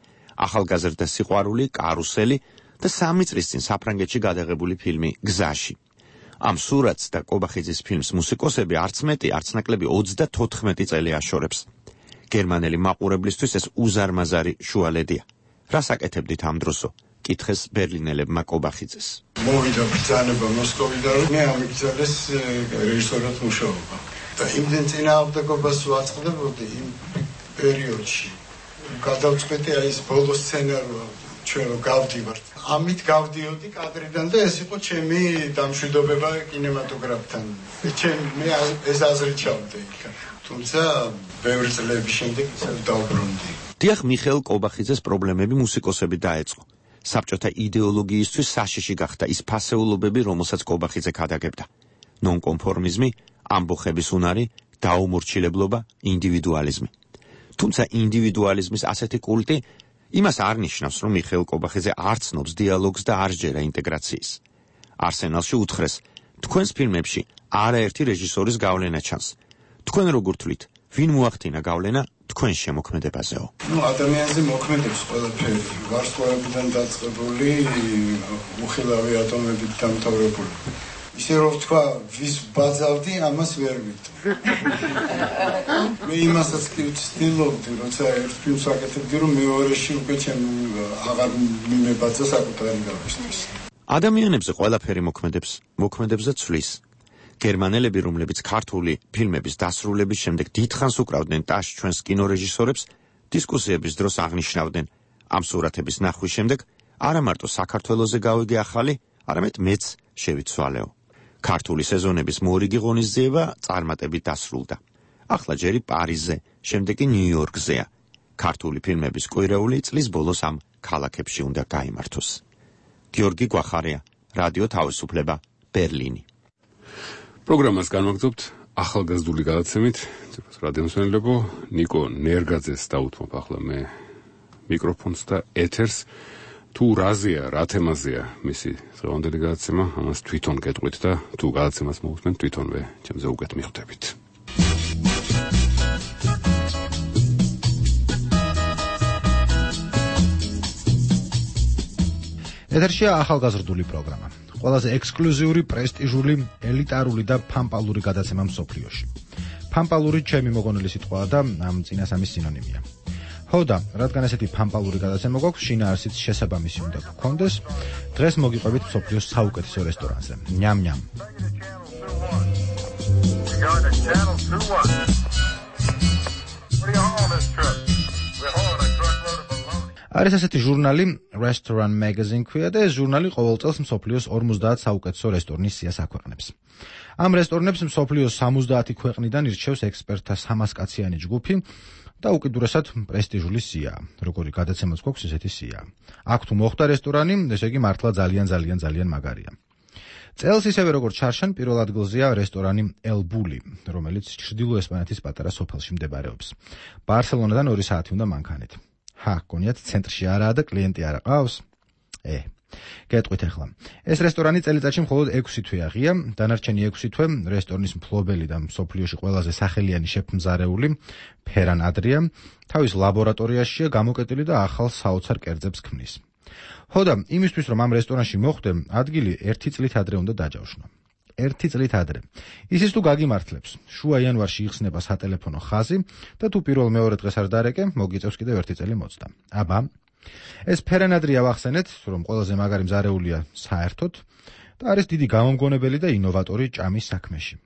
ახალგაზრდა სიყვარული, კარუსელი და 3 წლის წინ საფრანგეთში გადაღებული ფილმი გზაში. ამ სურათს და კობახიძის ფილმს მუსიკოსები არც მეტი, არც ნაკლები 34 წელი აშორებს. გერმანელი მაყურებლისთვის ეს უზარმაზარი შუალედია. რას აკეთებდით ამ დროსო? კითხეს ბერლინელებმა კობახიძეს. მოვიდა ბრძანება მოსკოვიდან, მე ამიგზავნეს რეჟისორად მუშაობა. და იმდენ წინააღმდეგობას ვაწყდებოდი იმ პერიოდში. გადავწყვეტი აი ეს ბოლო სცენარია, ჩვენ რომ გავდივართ. ამით გავდიოდი კადრიდან და ეს იყო ჩემი დამშვიდობება კინემატოგრაფთან. მე ეს აზრით ჩავდი იქ. თუმცა ბევრი წლების შემდეგ ისევ დავბრუნდი. დიახ, მიხეილ კობახიძეს პრობლემები მუსიკოსები დაეწყო. საბჭოთა იდეოლოგიისთვის საშიში გახდა ის ფასეულობები, რომელსაც კობახიძე ქადაგებდა. ნონკონფორმიზმი, ამბოხების უნარი, დაუმორჩილებლობა, ინდივიდუალიზმი. თუმცა ინდივიდუალიზმის ასეთი კულტი იმას არ ნიშნავს, რომ მიხეილ კობახიძე არ ცნობს დიალოგს და არ ჯერა ინტეგრაციის. არსენალში უთხრეს, თქვენს ფილმებში არაერთი რეჟისორის გავლენა ჩანს. თქვენ როგორ თვლით, ვინ მოახდინა გავლენა თქვენ შემოქმედებაზეო? ადამიანზე მოქმედებს ყველაფერი, ვარსკვლავებიდან დაწყებული, უხილავი ატომებით დამთავრებული. ისე რომ თქვა, ვის ბაძავდი, ამას ვერ ვიტყვი. მე იმასაც კი ვცდილობდი, როცა ერთ ფილმს ვაკეთებდი, რომ მეორეში უკვე ჩემ აღარ მიმებაძა საკუთარი გავისთვის. ადამიანებზე ყველაფერი მოქმედებს და ცვლის. გერმანელები, რომლებიც ქართული ფილმების დასრულების შემდეგ დიდხანს უკრავდნენ ტაშ ჩვენს კინორეჟისორებს, დისკუსიების დროს აღნიშნავდნენ, ამ სურათების ნახვის შემდეგ არა მარტო საქართველოზე გავიგე ახალი, არამედ მეც შევიცვალეო. ქართული სეზონების მორიგი ღონისძიება წარმატებით დასრულდა. ახლა ჯერი პარიზზე, შემდეგ კი ნიუ-იორკზეა. ქართული ფილმების კვირეული წლის ბოლოს ამ ქალაქებში უნდა გაიმართოს. გიორგი გვახარია, რადიო თავისუფლება, ბერლინი. პროგრამას განვაგრძობთ ახალგაზრდული გადაცემით. რადიომსმენელებო, ნიკო ნერგაძეს დავუთმობ ახლა მე მიკროფონს და ეთერს. თუ რაზეა, რა თემაზეა მისი დღევანდელი გადაცემა, ამას თვითონ გეტყვით და თუ გადაცემას მოусმენთ, თვითონვე ჩემზე უკეთ მიხვდებით. ეთერშია ახალგაზრდული პროგრამა. ყველაზე ექსკლუზიური, პრესტიჟული, ელიტარული და ფამპალური გადაცემა მსოფლიოში. ფამპალური ჩემი მოგონილი სიტყვაა და ამ წინასამის სინონიმია. ხოდა, რადგან ესეთი ფამპალური გადაცემა გვაქვს, შინაარსიც შესაბამისი უნდა გქონდეს. დღეს მოგიყვებით მსოფლიოს საუკეთესო რესტორანზე. ნям-ნям. არის ასეთი ჟურნალი Restaurant Magazine ქვია და ეს ჟურნალი ყოველ წელს მსოფლიოს 50 საუკეთესო რესტორნის სიას აქვეყნებს. ამ რესტორნებს მსოფლიოს 70 ქვეყნიდან ირჩევს ექსპერტთა 300 კაციანი ჯგუფი და უკიდურესად პრესტიჟული სია. როგორი გადაცემაც გვაქვს ესეთი სია. აქ თუ მოხდა რესტორანი, ესე იგი მართლა ძალიან მაგარია. წელს ისევე როგორც ჩარშან, პირველ ადგილზეა რესტორანი El Bulli, რომელიც ჩრდილო ესპანეთის პატარა სოფელში მდებარეობს. ბარსელონადან 2 საათი უნდა მანქანით. გონიათ ცენტრში არაა და კლიენტი არ ყავს? გეტყვით ახლა. ეს რესტორანი წელიწადში მხოლოდ 6 თვე აღია, დანარჩენი 6 თვე რესტორნის მფლობელი და მსოფლიოში ყველაზე სახელიანი შეფმზარეული ფერან ადრია, თავის ლაბორატორიაშია გამოკეტილი და ახალ საოცარ კერძებს ქმნის. ხოდა, იმისთვის რომ ამ რესტორანში მოხვდე, ადგილი 1 წლით ადრე უნდა დაჯავშნო. 1 წლით ადრე. ისიც თუ გაგიმართლებს, შუა იანვარში იხსნება სატელეფონო ხაზი და თუ პირველ-მეორე დღეს არ დარეკე, მოგიწევს კიდევ 1 წელი მოწდა. აბა, ეს ფერანადრია ვახსენეთ, რომ ყველაზე მაგარი მზარეულია საერთოდ და არის დიდი გამომგონებელი და ინოვატორი ჭამის საქმეში.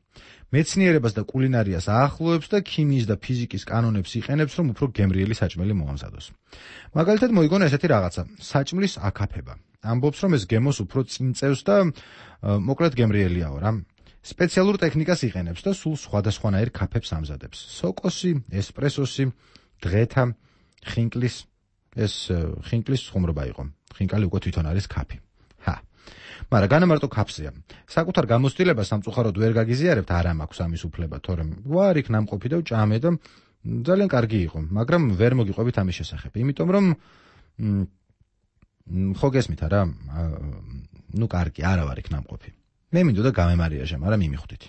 მეცნიერებას და კულინარიას აახლოებს და ქიმიის და ფიზიკის კანონებს იყენებს, რომ უფრო გემრიელი საჭმელი მოამზადოს. მაგალითად მოიგონა ესეთი რაღაცა, საჭმლის აკაფება. ამბობს, რომ ეს გემოს უფრო წინ წევს და მოკლედ გემრიელიაო რა. სპეციალურ ტექნიკას იყენებს და სულ სხვადასხვანაირ კაფებს ამზადებს. სოკოსი, ესპრესოსი, დღეთა, ხინკლის, ეს ხინკლის ხუმრობა იყო. ხინკალი უკვე თვითონ არის კაფე. მაგრამ განამარტო კაფსია. საკუთარ გამოცდილებას სამწუხაროდ ვერ გაგიზიარებთ, არ მაქვს ამის უფლება, თორემ ვარ იქ ნამყოფი და ვჭამე და ძალიან კარგი იყო, მაგრამ ვერ მოგიყვებით ამის შესახებ. იმიტომ რომ ხო გესმით არა? კარგი, არა ვარ იქ ნამყოფი. მე მინდოდა გამემარიაჟა, მაგრამ მიმიხვდით.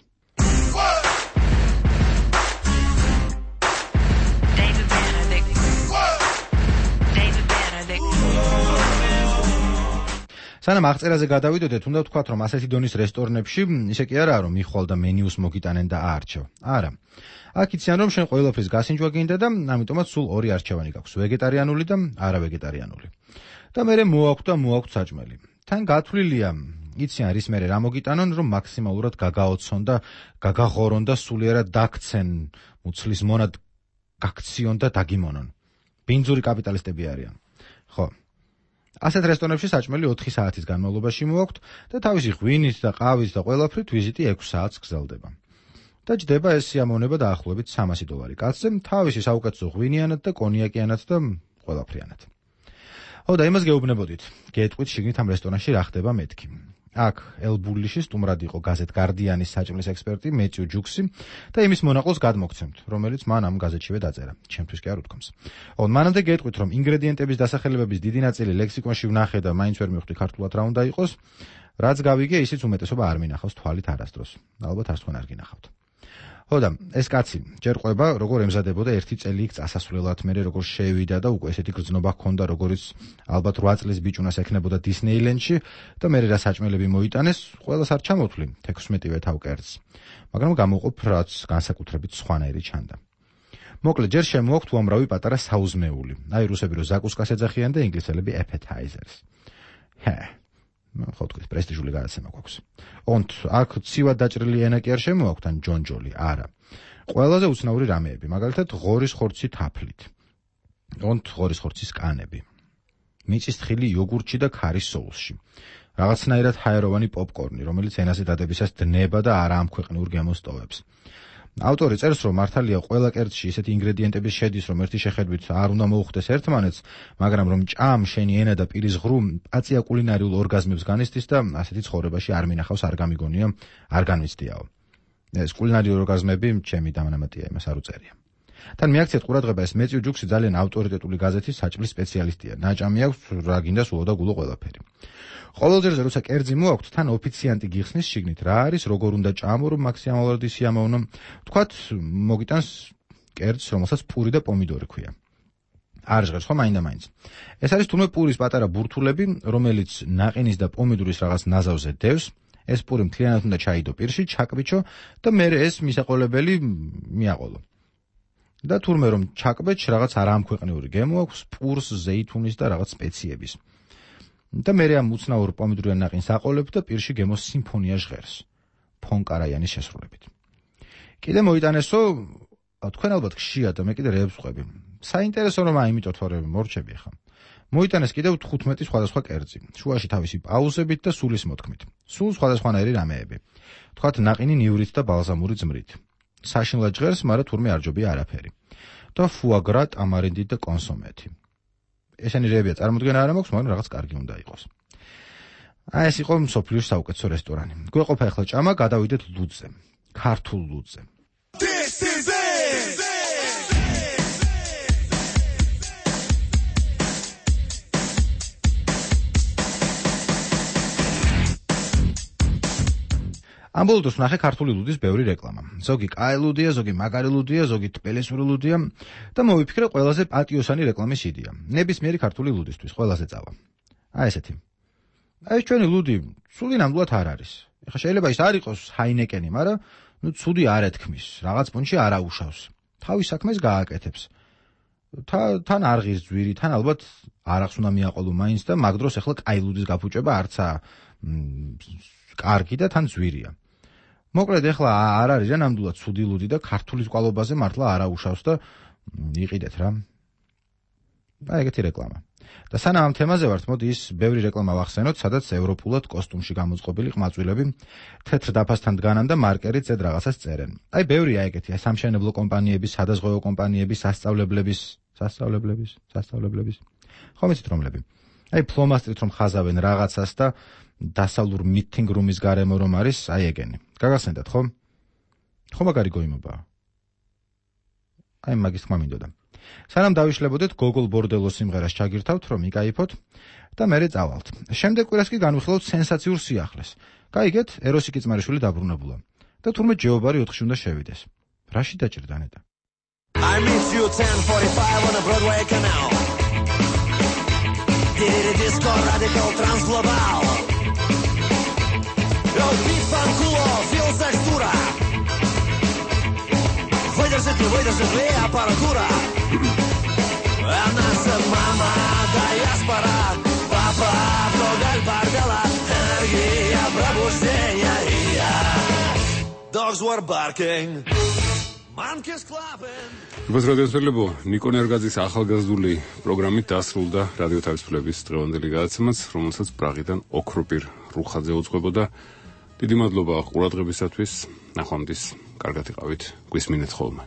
სანამ აღწერაზე გადავიდოდეთ, უნდა ვთქვათ, რომ ასეთი დონის რესტორნებში ისე კი არაა, რომ მიხვალ და მენიუს მოგიტანენ და აარჩევ. არა. აქ იციან, რომ შენ ყველაფრის გასინჯვა გინდა და ამიტომაც სულ 2 არჩევანი გაქვს, ვეგეტარიანული და არავეგეტარიანული. და მერე მოაქვთ საჭმელი. თან გათვლილია იციან რის მერე რა მოგიტანონ, რომ მაქსიმალურად გაგაოცონ და გაგაღორონ და სულიერად დაქცენ მუცლის მონად გაქციონ და დაგიმონონ. ბინძური კაპიტალისტები არიან. ხო. ასეთ რესტორნებში საჭმელი 4 საათის განმავლობაში მოაქვთ და თავისი ღვინით და ყავით და ყველაფრით ვიზიტი 6 საათს გრძელდება. და ჯდება ეს სიამოვნება დაახლოებით $300 კაცზე, თავისი საუკეთესო ღვინიანად და კონიაკიანად და ყველაფრიანად. ხო და იმას გეუბნებოდით. გეტყვით შიგნით ამ რესტორნში რა ხდება მეთქი. აქ ელბულიში სტუმრად იყო გაზეთ გარდიანის საჭმლის ექსპერტი მეწიუ ჯუქსი და იმის მონაყოლს გადმოგცემთ, რომელიც მან ამ გაზეთშივე დაწერა. ჩემთვის კი არ უთქვამს. მანამდე გეტყვით, რომ ინგრედიენტების დასახელებების დიდი ნაწილი ლექსიკონში ვნახე და მაინც ვერ მივხვდი ქართულად რა უნდა იყოს, რაც გავიგე, ისიც უმეტესობა არ მინახავს თვალით არასდროს. ალბათ არც თქვენ არ გინახავთ. ხო და ეს კაცი ჯერ ყვება, როგორ ემზადებოდა 1 წელი იქ წასასვლელად, მერე როგორ შევიდა და უკვე ესეთი გრძნობა ჰქონდა, როგორიც ალბათ 8 წლის ბიჭუნას ექნებოდა დისნეილენდში და მერე რა საჭმელები მოიტანეს, ყველას არ ჩამოთვლი 16-ვე თავკერძს. მაგრამ გამოყოფ რაც განსაკუთრებით სხვანაირი ჩანდა. მოკლედ ჯერ შემოაქვთ უამრავი პატარა საუზმეული. აი რუსები რო ზაკუსკას ეძახიან და ინგლისელები appetizers. ხო თქვით, პრესტიჟული გადაცემა გვაქვს. აქ ცივად დაჭრილი ენა კი არ შემოაქვთ, ან ჯონჯოლი, არა. ყველაზე უცნაური რამეები, მაგალითად ღორის ხორცი თაფლით. ღორის ხორცის კანები. მიწისთხილი იოგურტში და ქარის соуსში. რაღაცნაირად ჰაეროვანი პოპკორნი, რომელიც ენაზე დადებისას დნება და არა ამქვეყნიურ გემოს ტოვებს. ავტორი წერს, რომ მართალია ყველა კერძში ისეთი ინგრედიენტები შედის, რომ ერთი შეხედვით არ უნდა მოუხდეს ერთმანეთს, მაგრამ რომ ჭამ შენი ენა და პირის ღრუ პაწია კულინარიულ ორგაზმებს განიცდის და ასეთი ცხოვრებაში არ მინახავს, არ გამიგონია, არ განვიცდიაო. ეს კულინარიული ორგაზმები ჩემი დამანამატია, იმას არ უწერია. თან მიაქციეთ ყურადღება, ეს მეწიუ ჯუქსი ძალიან ავტორიტეტული გაზეთის საჭმლის სპეციალისტია. ნაჭამი აქვს რა გინდა სულო და გულო ყველაფერი. ყოველ ჯერზე როცა კერძი მოაქვთ, თან ოფიციანტი გიხსნის შიგნით რა არის, როგორ უნდა ჭამო, რომ მაქსიმალურად ისიამოვნო. თქვათ, მოგიტანს კერძს, რომელსაც პური და პომიდორი ქვია. არ ჟღერს ხო მაინდა-მაინც. ეს არის თურმე პურის პატარა ბურთულები, რომელიც ნაყინის და პომიდურის რაღაც ნაზავზე დევს. ეს პური მთლიანად უნდა ჩაიდო პირში, ჩაკბიჩო და მერე ეს მისაყოლებელი მიაყოლო. და თურმე რომ ჩაკბეჭ რაღაც არაამქვეყნიური გემო აქვს პურს, ზეითუნის და რაღაც სპეციების. და მერე ამ უცნაურ პომიდურიან ნაყინს აყოლებთ და პირში გემოს სიმფონია ჟღერს. ფონკარაიანის შესრულებით. კიდე მოიტანესო, თქვენ ალბათ გშია და მე კიდე რეებს ვყვები. საინტერესო რომ აიმიტოთ თორემ მორჩები ხა. მოიტანეს კიდევ 15 სხვადასხვა კერძი, შუაში თავისი პაუზებით და სულის მოთქმით. სულ სხვადასხვანაირი რამეები. თქვათ ნაყინი ნივრით და ბალზამური ძმრით. საშინლად ჟღერს, მაგრამ თურმე არ ჯობია არაფერი. და ფუაგრა, ტამარინდით და კონსომეთი. ესენი რეებია წარმოდგენა არ მაქვს, მაგრამ რაღაც კარგი უნდა იყოს. ეს იყო მსოფლიოს საუკეთესო რესტორანი. გვეყოფა ახლა ჭამა, გადავიდეთ ლუდზე. ქართულ ლუდზე. This is it! ამ ბოლო დროს ვნახე ქართული ლუდის ბევრი რეკლამა. ზოგი კაი ლუდია, ზოგი მაგარი ლუდია, ზოგი თბილისური ლუდია და მოვიფიქრე ყველაზე პატიოსანი რეკლამის იდეა. ნებისმიერი ქართული ლუდისთვის ყველაზე წავა. ესეთი. ეს ჩვენი ლუდი სული ნამდვილად არ არის. ეხლა შეიძლება ის არ იყოს ჰაინეკენი, მაგრამ ცუდი არ ეთქმის, რაღაც პუნჩი არ აუშავს. თავის საქმეს გააკეთებს. თან არ ღირს ძვირი, თან ალბათ არახს უნდა მიაყოლო მაინც და მაგ დროს ეხლა კაი ლუდის გაფუჭება არცა კარგი და თან ძვირია. მოკლედ ეხლა არ არის რა ნამდვილად ცუდი ლუდი და ქართულის კვალობაზე მართლა არ აუშავს და იყიდეთ რა. ეგეთი რეკლამა. და სანამ ამ თემაზე ვართ, მოდი ის ბევრი რეკლამა ვახსენოთ, სადაც ევროპულად კოსტუმში გამოწყობილი ყმაწვილები თეთრ დაფასთან დგანან და მარკერით ზედ რაღაცას წერენ. აი ბევრია ეგეთი, სამშენებლო კომპანიების, სადაზღვევო კომპანიების, სასწავლებლების. ხომ იცით რომლები? აი ფლომასტრით რომ ხაზავენ რაღაცას და დასავლურ მიტინგ რუმის გარემო რომ არის, აი ეგენი. გაგახსენდათ ხო? ხო მაგარი გოიმობაა. აი მაგის თქმა მინდოდა. სანამ დავიშლებოდეთ გოგოლ ბორდელოს სიმღერას ჩაგირთავთ რომ იკაიფოთ და მერე წავალთ. შემდეგ კვირას კი განვიხილავთ სენსაციურ სიახლეს. გაიგეთ, ეროსი კიწმარიშვილი დაბრუნებულა და თურმე ჯეობარი 4-ში უნდა შევიდეს. რაში დაჭირდა ნეტა? I miss you 10:45 on a Broadway canal. Did disco radical trans global. El beat fanculo, feels textura. Выдержит ли аппаратура? А наша мама диаспора al bar de la energia pробуждения. Dogs were barking. Monkeys clapping. Бас რადიოსმენლებო, ნიკო ნერგაძის ახალგაზრდული პროგრამით დასრულდა რადიო თავისუფლების დღევანდელი გადაცემაც, რომელსაც პრაღიდან ოქროპირ რუხაძე უძღვებოდა. დიდი მადლობა ყურადღებისათვის. ნახვამდის, კარგად იყავით. გვისმინეთ ხოლმე.